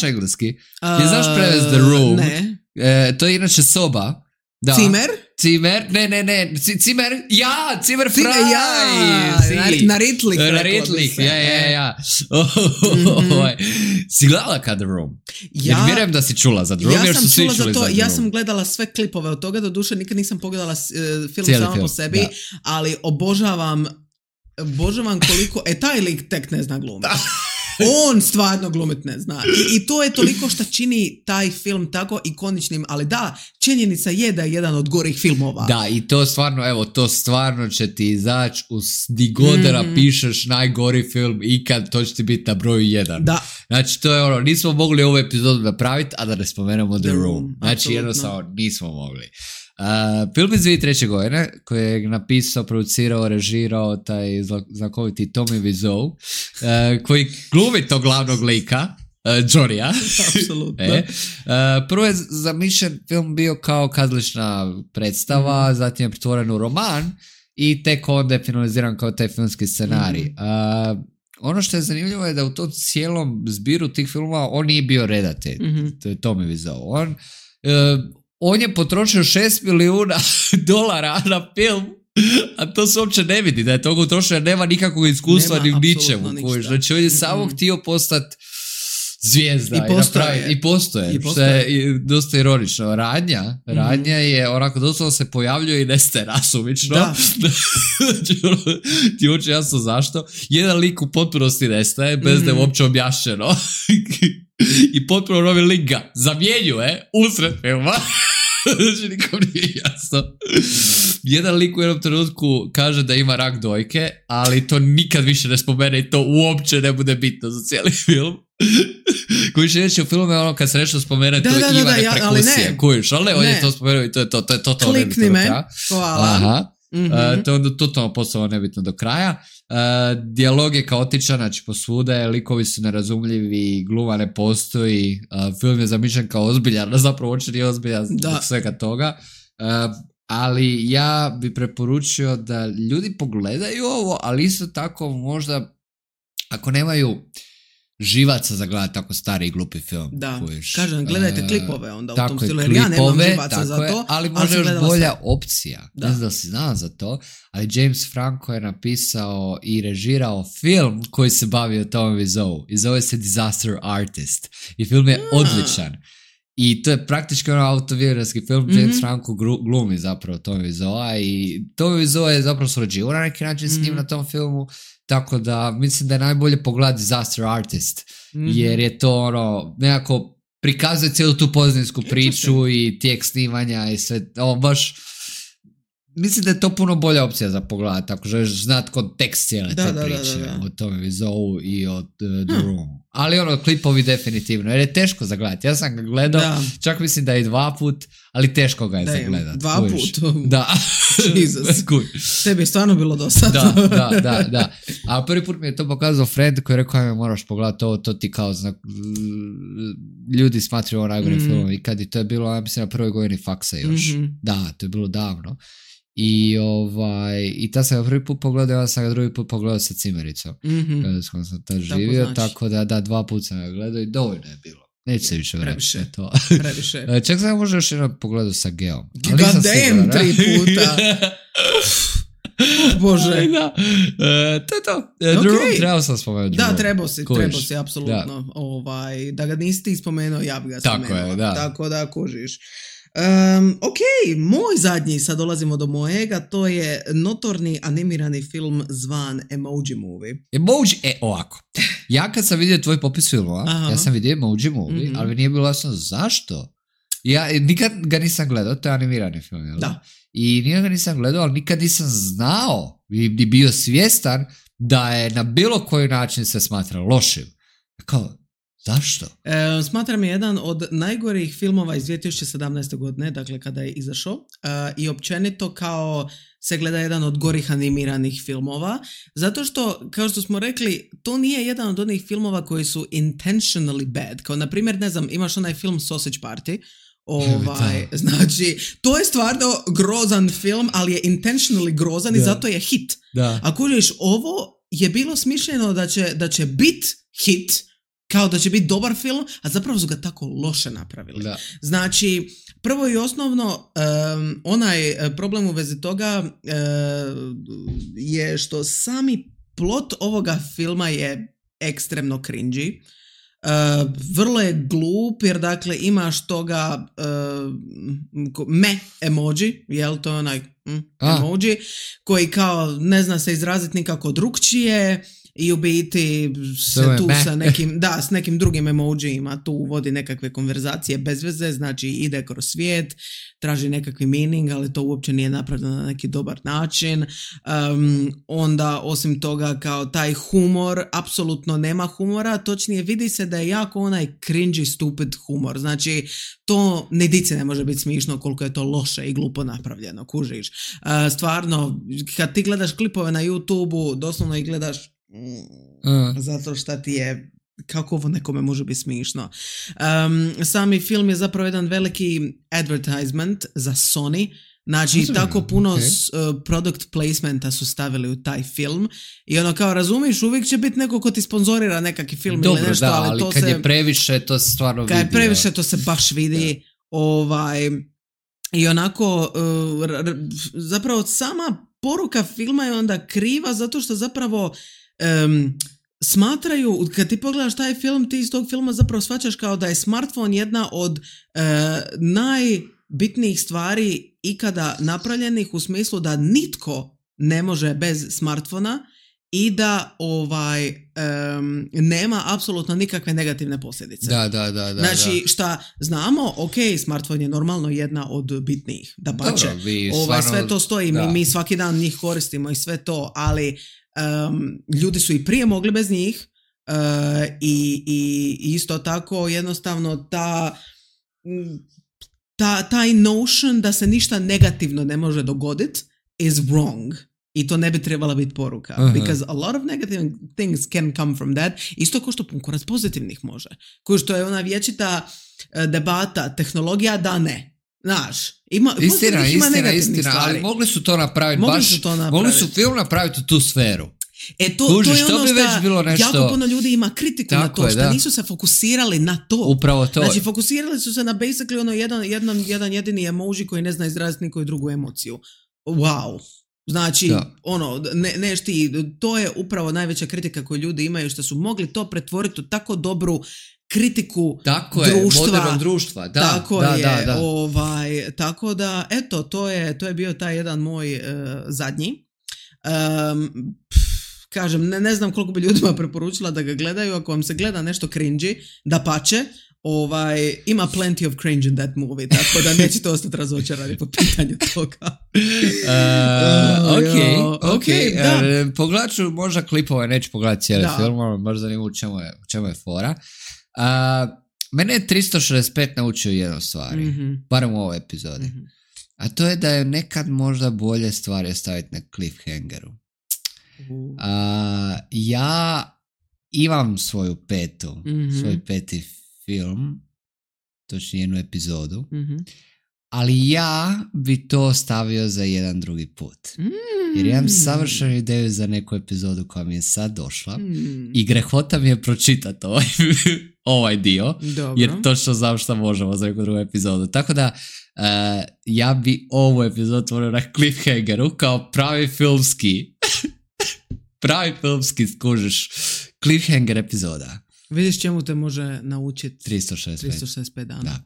engleski, ti znaš prevez The Room. Ne. To je inače Soba. Da. Cimer? Ne. Cimer? Ja! Cimer Fraj! Na Ritlik. Ja. Si gledala kad The Room? Jer vjerujem da si čula za The Room, jer su svi čuli za The Room. Ja sam gledala sve klipove od toga, doduše nikad nisam pogledala film samo po sebi, ali obožavam koliko... taj lik tek ne zna glumiti. On stvarno glumit ne zna. I to je toliko što čini taj film tako ikoničnim, ali da, činjenica je da je jedan od gorih filmova. Da, i to stvarno će ti izaći di god da napišeš najgori film ikad, to će ti biti na broju 1. Da. Znači, to je nismo mogli ovu epizodu napraviti, a da ne spomenemo The Room. Znači, absolutno. Jednostavno nismo mogli. Film iz 2003. godine koji je napisao, producirao, režirao taj znakoviti Tommy Wiseau, koji glumi tog glavnog lika, Johnny-a. Apsolutno. Prvo je zamišljen film bio kao kazališna predstava, zatim je pretvoren u roman i tek onda je finaliziran kao taj filmski scenarij. Ono što je zanimljivo je da u tom cijelom zbiru tih filmova on nije bio redatelj, to je Tommy Wiseau. On je potrošio $6 milijuna na film, a to se uopće ne vidi da je toga utrošio, jer nema nikakvog iskustva ni u ničemu. Znači on je samo htio postati zvijezda i postoje. Što je dosta ironično. Radnja je onako doslovno se pojavljuje i nestaje nasumično. Ti uopće jasno zašto. Jedan lik u potpunosti nestaje bez da je uopće objašnjeno. I potpuno novi lik ga zamjenjuje usred filma. Znači nikom nije jasno. Jedan lik u jednom trenutku kaže da ima rak dojke, ali to nikad više ne spomene i to uopće ne bude bitno za cijeli film. Koji će reći u filmu je ono kad se nešto spomene, to je Ivane prekusije. Kujiš, ali ne, on je to spomenuo i to je totalno nebitno. Klikni me, hvala. Aha. To je onda totalno postalo nebitno do kraja. Dijalog je kaotičan, znači posvuda, likovi su nerazumljivi, gluma ne postoji, film je zamišljen kao ozbiljan, zapravo uopće nije ozbiljan zbog svega toga. Ali ja bi preporučio da ljudi pogledaju ovo, ali isto tako možda ako nemaju živaca za gledati tako stari i glupi film. Da, kažem, gledajte klipove onda u tom stilu, jer ja nemam živaca za to. Ali može još bolja opcija. Ne znam da si znao za to, ali James Franco je napisao i režirao film koji se bavi o Tommy Wiseau i zove se Disaster Artist. I film je odličan. I to je praktički autobiografski film. James Franco glumi zapravo Tommy Wiseau i Tommy Wiseau je zapravo surađivao na neki način s njim na tom filmu. Tako da mislim da je najbolje pogledati Disaster Artist, jer je to nekako prikazuje cijelu tu pozadinsku priču i tijek snimanja i sve, baš mislim da je to puno bolja opcija za pogledati, ako želiš znati kontekst cijele te priče o Tommy Wiseau i o The Room. Ali klipovi definitivno, jer je teško za gledati. Ja sam ga gledao, čak mislim da i 2 put, ali teško ga je za gledati. 2 put? Da. Jesus. Tebi je stvarno bilo dosadno. Da. A prvi put mi je to pokazao friend koji je rekao, ajme moraš pogledati to ti kao znak. Ljudi smatraju ovo najgorim filmom i kad je to je bilo, ja mislim na prvoj godini faksa još. Da, to je bilo davno. I ta sam ga prvi put pogledao, ja sam ga drugi put pogledao sa cimericom. S kojom sam tad živio, tako da 2 puta sam ga gledao i dovoljno je bilo. Neće se više vratiti to. Previše. Čak sam možda još jednom pogledao sa Geom. God damn, 3 puta. Bože. To je to. Okay. Trebao sam spomenuti. Da, trebao si, apsolutno. Da ga nisi ti spomenuo, ja bi ga spomenuo. Tako je, da. Tako da kužiš. Ok, moj zadnji, sad dolazimo do mojega, to je notorni animirani film zvan Emoji Movie. Ovako. Ja kad sam vidio tvoj popis filmova, ja sam vidio Emoji Movie, ali nije bilo jasno zašto. Ja nikad ga nisam gledao, to je animirani film, jel? Da. I nikad ga nisam gledao, ali nikad nisam znao i bio svjestan da je na bilo koji način se smatra lošim. Kao, zašto? Smatram je jedan od najgorih filmova iz 2017. godine, dakle kada je izašao, i općenito kao se gleda jedan od gorih animiranih filmova, zato što, kao što smo rekli, to nije jedan od onih filmova koji su intentionally bad, kao na primjer, ne znam, imaš onaj film Sausage Party, znači, to je stvarno grozan film, ali je intentionally grozan i zato je hit. Ako uđeš, ovo je bilo smišljeno da će bit hit, kao da će biti dobar film, a zapravo su ga tako loše napravili. Znači, prvo i osnovno, onaj problem u vezi toga je što sami plot ovoga filma je ekstremno cringy. Vrlo je glup, jer dakle imaš toga emoji, jel, to je onaj emoji, koji kao ne zna se izraziti nikako drukčije i u biti se tu s nekim drugim emojijima tu vodi nekakve konverzacije bez veze, znači ide kroz svijet, traži nekakvi meaning, ali to uopće nije napravljeno na neki dobar način. Onda osim toga kao taj humor, apsolutno nema humora, točnije vidi se da je jako onaj cringy stupid humor, znači to ni dici ne može biti smišno koliko je to loše i glupo napravljeno, kužiš. Stvarno, kad ti gledaš klipove na YouTube-u, doslovno ih gledaš zato šta ti je, kako ovo nekome može biti smišno. Sami film je zapravo jedan veliki advertisement za Sony, znači tako puno product placementa su stavili u taj film i ono kao razumiš, uvijek će biti neko ko ti sponzorira nekakvi film ili nešto, ali to kad je previše to se stvarno vidi. Kad je previše to se baš vidi. I onako zapravo sama poruka filma je onda kriva zato što zapravo smatraju, kad ti pogledaš taj film, ti iz tog filma zapravo shvaćaš kao da je smartphone jedna od najbitnijih stvari ikada napravljenih, u smislu da nitko ne može bez smartfona i da nema apsolutno nikakve negativne posljedice. Da. Znači, šta znamo, smartphone je normalno jedna od bitnijih, da pače. Sve to stoji, mi svaki dan njih koristimo i sve to, ali ljudi su i prije mogli bez njih i isto tako jednostavno taj notion da se ništa negativno ne može dogoditi is wrong. I to ne bi trebala biti poruka. Because a lot of negative things can come from that. Isto kao što kurac pozitivnih može. Kao što je ona vječita debata, tehnologija da ne. Znaš, ima istina, ali mogli su to napraviti mogli su film napraviti u tu sferu. To je ono što jako puno ljudi ima kritiku na to, što nisu se fokusirali na to. Upravo to. Znači, fokusirali su se na basically ono jedan jedini emoji koji ne zna izraziti nikoju drugu emociju. Wow. Znači, to je upravo najveća kritika koju ljudi imaju, što su mogli to pretvoriti u tako dobru kritiku društva. Modernog društva. Tako da, eto, to je bio taj jedan moj zadnji. Kažem, ne znam koliko bi ljudima preporučila da ga gledaju. Ako vam se gleda nešto cringy, dapače, ima plenty of cringe in that movie, tako da nećete ostati razočarani po pitanju toga. Ok. Pogledat ću možda klipove, neću pogledati cijeli film, možda zanimljivo u čemu je fora. Mene je 365 naučio jednu stvari, barem u ovoj epizodi. A to je da je nekad možda bolje stvari staviti na cliffhangeru. Ja imam svoj peti film, točnije jednu epizodu, ali ja bi to stavio za jedan drugi put. Jer imam savršenu ideju za neku epizodu koja mi je sad došla i grehota mi je pročitati ovaj dio. Dobro. Jer točno znam šta možemo za neku drugu epizodu. Tako da ja bi ovu epizodu otvorio na cliffhangeru kao pravi filmski skužiš cliffhanger epizoda. Vidiš čemu te može naučiti 365 dana. Da.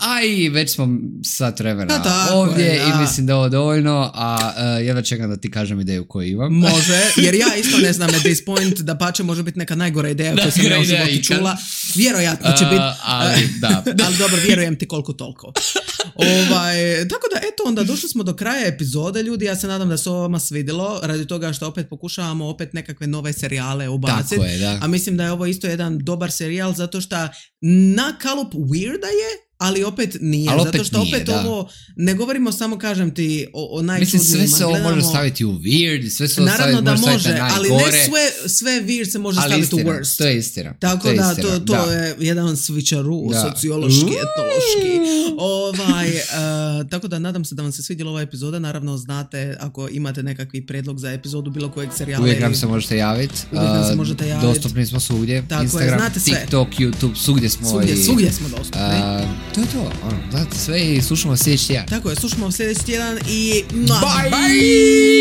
A i već smo sat vremena ovdje i mislim da je ovo dovoljno, a jedva čekam da ti kažem ideju koju imam. Može, jer ja isto ne znam at this point, da pače može biti neka najgora ideja koju sam ja u životu čula. Vjerojatno će biti, ali dobro, vjerujem ti koliko toliko. Tako da, eto, onda došli smo do kraja epizode, ljudi. Ja se nadam da se ovo vama svidjelo, radi toga što opet pokušavamo opet nekakve nove serijale ubaciti. A mislim da je ovo isto jedan dobar serijal, zato što na kalup weirda je, ali opet nije, zato što opet ovo ne govorimo samo, kažem ti, o najčudnijima. Mislim, sve se ovo može staviti u weird, sve se ovo staviti na najgore. Ali ne sve weird se može staviti u worst. To je istina. Tako da, to je jedan switcheroo, sociološki, etnološki. Tako da, nadam se da vam se svidjela ova epizoda. Naravno, znate, ako imate nekakvi predlog za epizodu bilo kojeg serijala. Uvijek nam se možete javiti. Dostupni smo svugdje. Instagram, TikTok, YouTube, svugdje smo. Svugdje smo dostupni. To je to, znate sve i slušamo sljedeći tjedan. Tako je, slušamo sljedeći tjedan i... Bye!